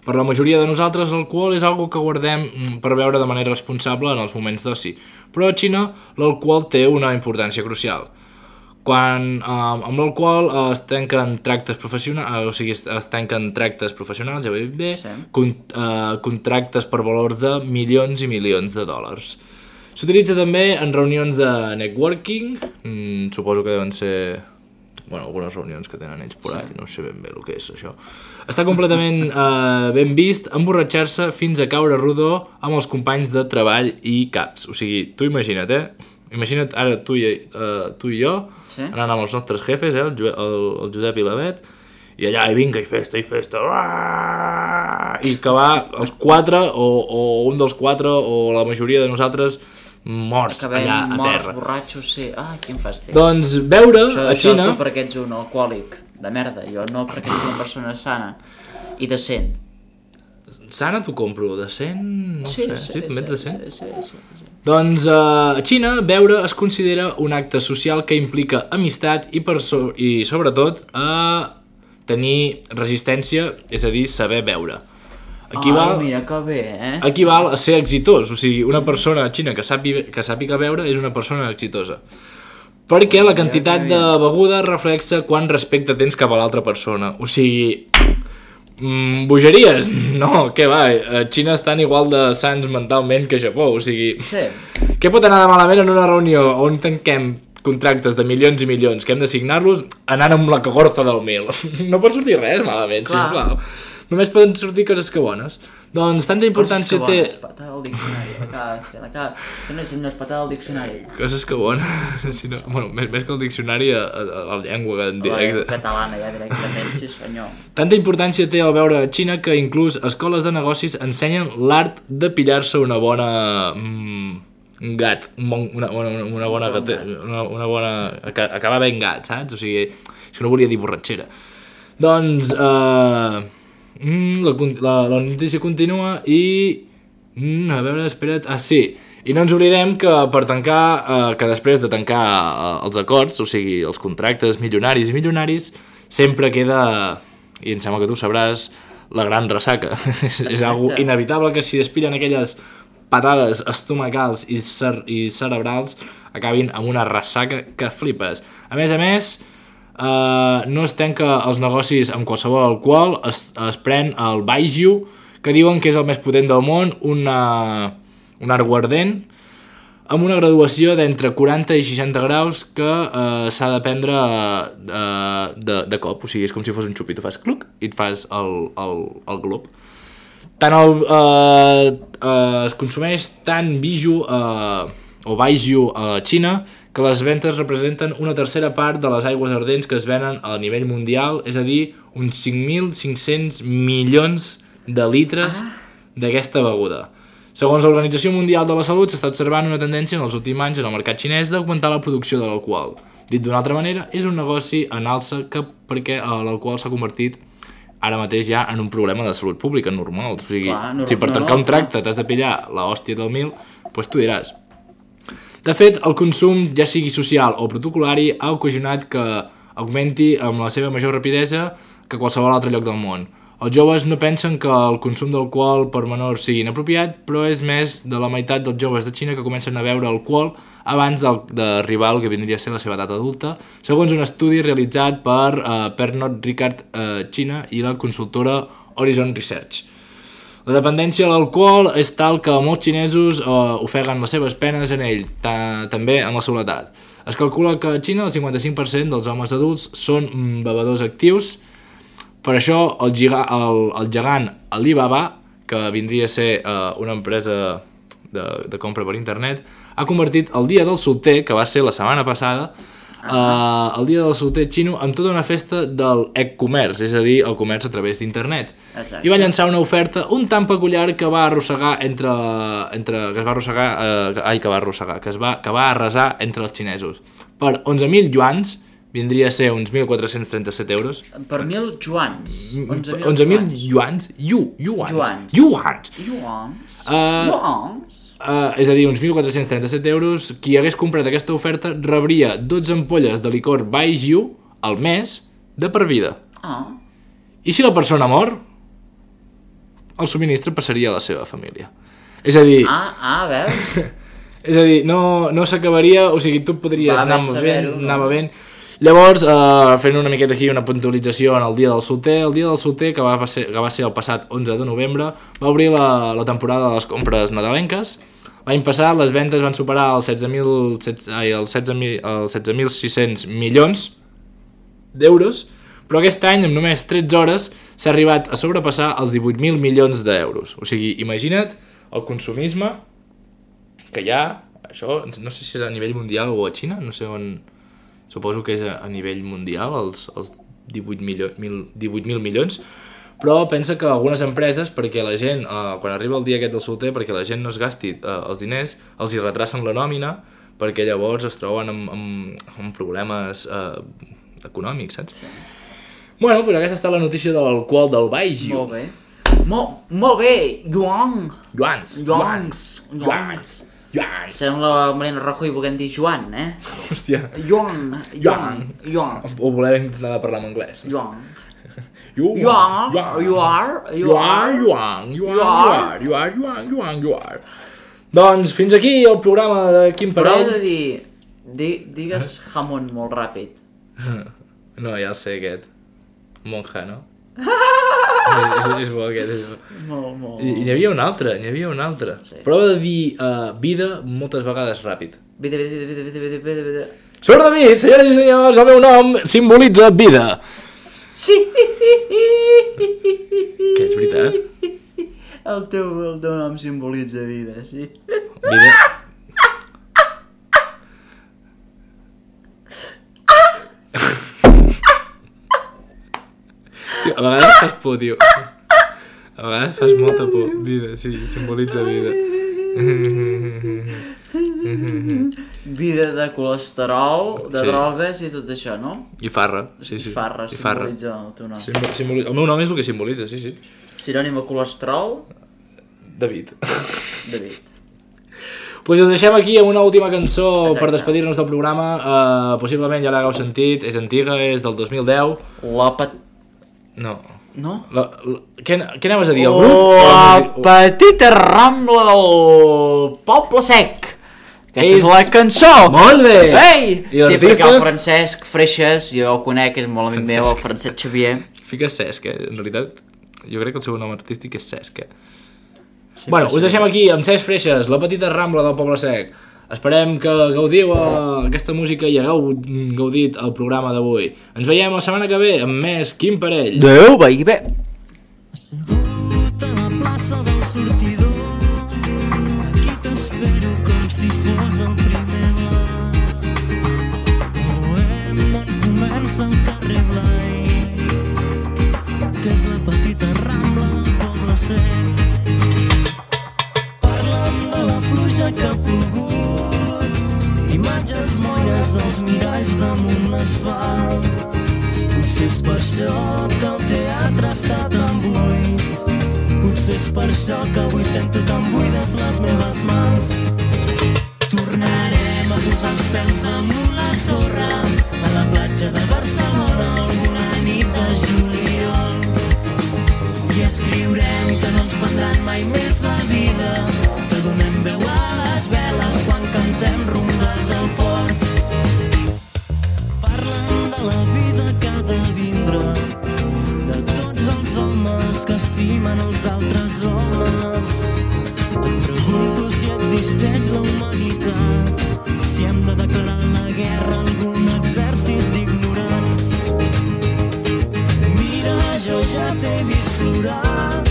[SPEAKER 2] Per la majoria de nosaltres, l'alcohol és algo que guardem mm, per beure de manera responsable en els moments d'oci, però a Xina l'alcohol té una importància crucial. quan uh, amb l'alcohol uh, es tanquen tractes professionals, uh, o sigui, es, es tanquen tractes professionals, ja ho he dit bé,
[SPEAKER 3] Sí.
[SPEAKER 2] con, uh, contractes per valors de milions i milions de dòlars. S'utilitza també en reunions de networking, mm, suposo que deuen ser... bueno, algunes reunions que tenen ells por ahí, no sé ben bé el que és això. Està completament eh, ben vist emborratxar-se fins a caure rodó amb els companys de treball i caps. O sigui, tu imagina't, eh? Imagina't ara tu i, uh, tu i jo,
[SPEAKER 3] Sí.
[SPEAKER 2] anant amb els nostres jefes, eh? el, el, el Josep i la Bet, i allà, i vinga, i festa, i festa, uah! I acabar els quatre, o, o un dels quatre, o la majoria de nosaltres, morts
[SPEAKER 3] Acabem
[SPEAKER 2] allà a
[SPEAKER 3] morts,
[SPEAKER 2] terra.
[SPEAKER 3] borratxos, sí. Ai, quin fàstic.
[SPEAKER 2] Doncs veure
[SPEAKER 3] Això,
[SPEAKER 2] a
[SPEAKER 3] això
[SPEAKER 2] Xina...
[SPEAKER 3] tu perquè ets un alcohòlic de merda, jo no perquè ets una persona sana i decent.
[SPEAKER 2] Sana t'ho compro, decent... no
[SPEAKER 3] sí,
[SPEAKER 2] sé,
[SPEAKER 3] sí,
[SPEAKER 2] sí, també ets decent?
[SPEAKER 3] Sí, sí, sí, sí.
[SPEAKER 2] Doncs uh, a Xina, beure es considera un acte social que implica amistat i, per so i sobretot, a tenir resistència, és a dir, saber beure. Equival,
[SPEAKER 3] Ai, mira que bé, eh?
[SPEAKER 2] equival a ser exitós, o sigui, una persona a Xina que sàpiga, que sàpiga beure és una persona exitosa. Perquè la quantitat de beguda reflexa quant respecte tens cap a l'altra persona. O sigui, mm, bogeries? No, què va, a Xina estan igual de sants mentalment que a Japó, o sigui...
[SPEAKER 3] Sí.
[SPEAKER 2] Què pot anar de malament en una reunió on tanquem contractes de milions i milions que hem de signar-los anant amb la cagorza del mil? No pot sortir res malament,
[SPEAKER 3] Clar.
[SPEAKER 2] sisplau. Només poden sortir coses que bones. Doncs tanta importància té...
[SPEAKER 3] Coses que bones, patada al diccionari, l'acaba de fer, l'acaba... Que no és, no és patada al diccionari.
[SPEAKER 2] Coses que bones, si no... Bueno, més, més que el diccionari, a, a, a la llengua en
[SPEAKER 3] La
[SPEAKER 2] directe.
[SPEAKER 3] catalana ja directament, sí senyor.
[SPEAKER 2] Tanta importància té el veure a Xina que inclús escoles de negocis ensenyen l'art de pillar-se una bona... Mm, un gat, un bon, una, una, una bona gate, una, una bona... acabar ben gat, saps? O sigui, és que no volia dir borratxera. Doncs, eh... Mm, la, la, la notícia continua i... Mm, a veure, espera't... Ah, sí. I no ens oblidem que per tancar, eh, que després de tancar eh, els acords, o sigui, els contractes milionaris i milionaris, sempre queda, i em sembla que tu sabràs, la gran ressaca. és, és algo inevitable que si despillen aquelles patades estomacals i, cer i cerebrals acabin amb una ressaca que flipes. A més a més... Uh, no es tanca els negocis amb qualsevol alcohol, es, es pren el Baijiu, que diuen que és el més potent del món, una, un aiguardent, amb una graduació d'entre quaranta i seixanta graus que uh, s'ha de prendre uh, de, de cop, o sigui, és com si fos un xup i tu fas cluc i et fas el, el, el glob. Tant el, uh, uh, es consumeix tant Baijiu uh, o Baijiu a la Xina que les ventes representen una tercera part de les aigües ardents que es venen a nivell mundial, és a dir, uns cinc mil cinc-cents milions de litres ah. d'aquesta beguda. Segons l'Organització Mundial de la Salut, s'està observant una tendència en els últims anys en el mercat xinès d'augmentar la producció de l'alcohol. Dit d'una altra manera, és un negoci en alça que perquè l'alcohol s'ha convertit ara mateix ja en un problema de salut pública normal. O sigui,
[SPEAKER 3] Clar, no,
[SPEAKER 2] si per
[SPEAKER 3] no,
[SPEAKER 2] tancar
[SPEAKER 3] no,
[SPEAKER 2] un tracte t'has de pillar la hòstia del mil, doncs tu diràs. De fet, el consum, ja sigui social o protocolari, ha ocasionat que augmenti amb la seva major rapidesa que qualsevol altre lloc del món. Els joves no pensen que el consum d'alcohol per menors sigui inapropiat, però és més de la meitat dels joves de Xina que comencen a beure alcohol abans d'arribar al que vindria a ser la seva edat adulta, segons un estudi realitzat per uh, Pernod Ricard uh, Xina i la consultora Horizon Research. La dependència a l'alcohol és tal que molts xinesos eh, ofeguen les seves penes en ell, també en la soledat. Es calcula que a Xina el cinquanta-cinc per cent dels homes adults són bevedors actius. Per això el, giga, el, el gegant Alibaba, que vindria a ser eh, una empresa de, de compra per internet, ha convertit el dia del solter, que va ser la setmana passada, Uh, el dia del solter xino amb tota una festa del e-comerç, és a dir, el comerç a través d'internet. I va llançar una oferta un tant peculiar que va arrossegar entre, entre que es va arrossegar, uh, ai, que va arrossegar, que es va, que va arrasar entre els xinesos. Per onze mil yuans, vindria a ser uns mil quatre-cents trenta-set euros.
[SPEAKER 3] Per mil juans.
[SPEAKER 2] onze mil yuans? Yu, yuans.
[SPEAKER 3] Yuans.
[SPEAKER 2] Yuans.
[SPEAKER 3] Yuans.
[SPEAKER 2] Uh,
[SPEAKER 3] Yuans.
[SPEAKER 2] Uh, és a dir, uns mil quatre-cents trenta-set euros. Qui hagués comprat aquesta oferta rebria dotze ampolles de licor Baijiu al mes de per vida.
[SPEAKER 3] Ah.
[SPEAKER 2] I si la persona mor, el subministre passaria a la seva família. És a dir...
[SPEAKER 3] Ah, ah, veus?
[SPEAKER 2] És a dir, no, no s'acabaria, o sigui, tu podries
[SPEAKER 3] Va
[SPEAKER 2] anar
[SPEAKER 3] bé
[SPEAKER 2] bevent,
[SPEAKER 3] saber-ho,
[SPEAKER 2] anar
[SPEAKER 3] no?
[SPEAKER 2] bevent. Llavors, eh, fent una miqueta aquí una puntualització en el dia del solter, el dia del solter, que va ser, que va ser el passat onze de novembre, va obrir la, la temporada de les compres nadalenques. L'any passat les vendes van superar els setze mil sis-cents milions d'euros, però aquest any, amb només tretze hores, s'ha arribat a sobrepassar els divuit mil milions d'euros. O sigui, imagina't el consumisme que hi ha, això, no sé si és a nivell mundial o a Xina, no sé on... Suposo que és a, a nivell mundial, els, els divuit mil milions, però pensa que algunes empreses, perquè la gent, eh, quan arriba el dia aquest del solter, perquè la gent no es gasti eh, els diners, els hi retracen la nòmina, perquè llavors es troben amb, amb, amb problemes eh, econòmics, saps? Sí. Bueno, però aquesta està la notícia de l'alcohol del Baixio.
[SPEAKER 3] Molt bé. Molt, molt bé, Joan.
[SPEAKER 2] Joans.
[SPEAKER 3] Joans.
[SPEAKER 2] Joans. Joan.
[SPEAKER 3] Sembla Mariano Rajoy volent dir Joan, eh?
[SPEAKER 2] Hòstia.
[SPEAKER 3] Joan. Joan. Joan.
[SPEAKER 2] O volem intentar parlar en anglès.
[SPEAKER 3] Joan.
[SPEAKER 2] You,
[SPEAKER 3] you are, you are,
[SPEAKER 2] you are, you are, you are, you are, you are, you are, you are. Doncs fins aquí el programa de Quim Parell.
[SPEAKER 3] Però he de dir, di, digues jamón molt ràpid.
[SPEAKER 2] No, ja el sé aquest. Monja, no? és, és, és bo aquest, és bo.
[SPEAKER 3] Molt, molt.
[SPEAKER 2] I n'hi havia un altre, n'hi havia un altre. Sí. Prova de dir uh, vida moltes vegades ràpid.
[SPEAKER 3] Vida, vida, vida, vida, vida, vida, vida.
[SPEAKER 2] Sort David, senyores i senyors, el meu nom simbolitza vida.
[SPEAKER 3] Sí!
[SPEAKER 2] Que és veritat?
[SPEAKER 3] El teu, el teu nom simbolitza vida, sí.
[SPEAKER 2] Vida... Tio, a vegades fas por, tio. A vegades fas molta por. Vida, sí, simbolitza vida.
[SPEAKER 3] Vida de colesterol, de
[SPEAKER 2] sí.
[SPEAKER 3] drogues i tot això, no?
[SPEAKER 2] I farra, sí, sí.
[SPEAKER 3] I farra, I farra. Simbolitza el teu nom.
[SPEAKER 2] Simbol, simboli... El meu nom és el que simbolitza, sí, sí.
[SPEAKER 3] Sinònim a colesterol?
[SPEAKER 2] David.
[SPEAKER 3] David.
[SPEAKER 2] Pues us deixem aquí amb una última cançó. Exacte. Per despedir-nos del programa. Uh, possiblement ja l'hagueu sentit, és antiga, és del dos mil deu.
[SPEAKER 3] La pet...
[SPEAKER 2] No.
[SPEAKER 3] No?
[SPEAKER 2] La, la, què, què anaves a dir? El
[SPEAKER 3] grup? La oh, petita rambla del Poble Sec. Aquesta és, és la cançó.
[SPEAKER 2] Molt bé.
[SPEAKER 3] Ei! Sí, perquè el Francesc Freixas, jo el conec, és molt amic meu, el Francesc Xavier.
[SPEAKER 2] Fiques Cesc, eh? En realitat, jo crec que el seu nom artístic és Cesc, eh? Sí, bueno, us deixem aquí amb Cesc Freixas, la petita rambla del Poble Sec. Esperem que gaudiu aquesta música i hagueu gaudit el programa d'avui. Ens veiem la setmana que ve amb més Quim Parell.
[SPEAKER 3] Adéu, veí bé.
[SPEAKER 4] Assegut a la plaça del sortidor, aquí t'espero com si fos el primer bar. Bohem on comença el carrer Blai, que és la petita rambla del Poble Sec. Parlen de la pluja que ha plogut, imatges moires dels miralls damunt l'asfalt. Potser és per això que el teatre està tan buit, potser és per això que avui sento tan buides les meves mans. Tornarem a posar els peus damunt la sorra a la platja de Barcelona alguna nit de juliol, i escriurem que no ens prendran mai més la vida, que donem veu a les veles quan cantem rondes al port. Parlen de la vida que ha de vindre, de tots els homes que estimen els altres homes. Em pregunto si existeix la humanitat, si hem de declarar la guerra a algun exèrcit d'ignorants. Mira, jo ja t'he vist plorar,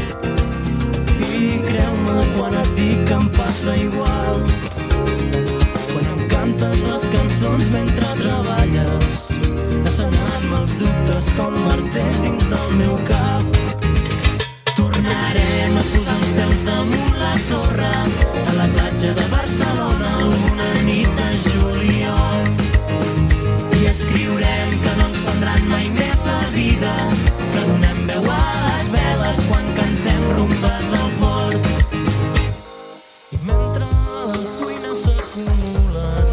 [SPEAKER 4] i creu-me quan et dic que em passa igual. Quan em cantes les cançons mentre treballes, assenant-me els dubtes com martells dins del meu cap. Tornarem a posar els peus damunt la sorra a la platja de Barcelona alguna nit de juliol, i escriurem que no ens prendran mai més la vida, que donem veu a les veles quan cantem rumbes al port. I mentre a la cuina s'acumulen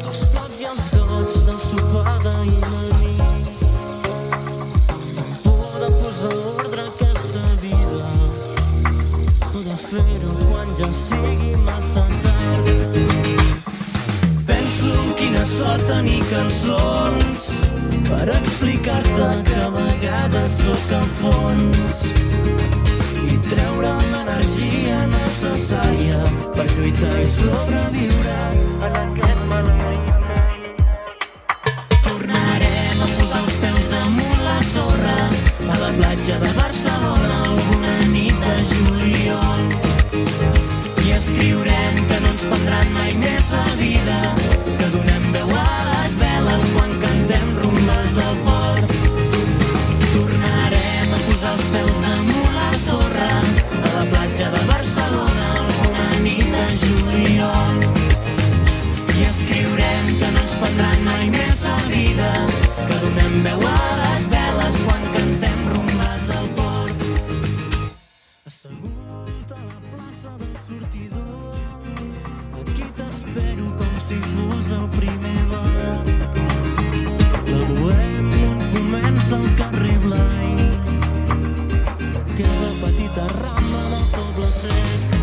[SPEAKER 4] els plats i els gots del sopar d'ahir la nit, amb por de posar ordre a aquesta vida, poder fer-ho quan ja sigui massa tard. Penso quina sort tenir cançons per explicar-te que a vegades sóc al fons i treure l'energia necessària per lluitar i sobreviure en aquest maleït món. Tornarem a posar els peus damunt la sorra a la platja de Barcelona alguna nit de juliol i escriurem que no ens prendran mai més la vida, que donem veu a les veles quan cantem rumbes al port. Tornarem a posar els peus damunt la sorra a la platja de Barcelona alguna nit de juliol i escriurem que no ens prendran mai més la vida, que donem veu a les veles quan cantem rumbes al port. Assegut a la plaça del sortidor, aquí t'espero com si fos el primer bar. La bohem on comença el carrer Blai, que és la petita rambla del Poble Sec.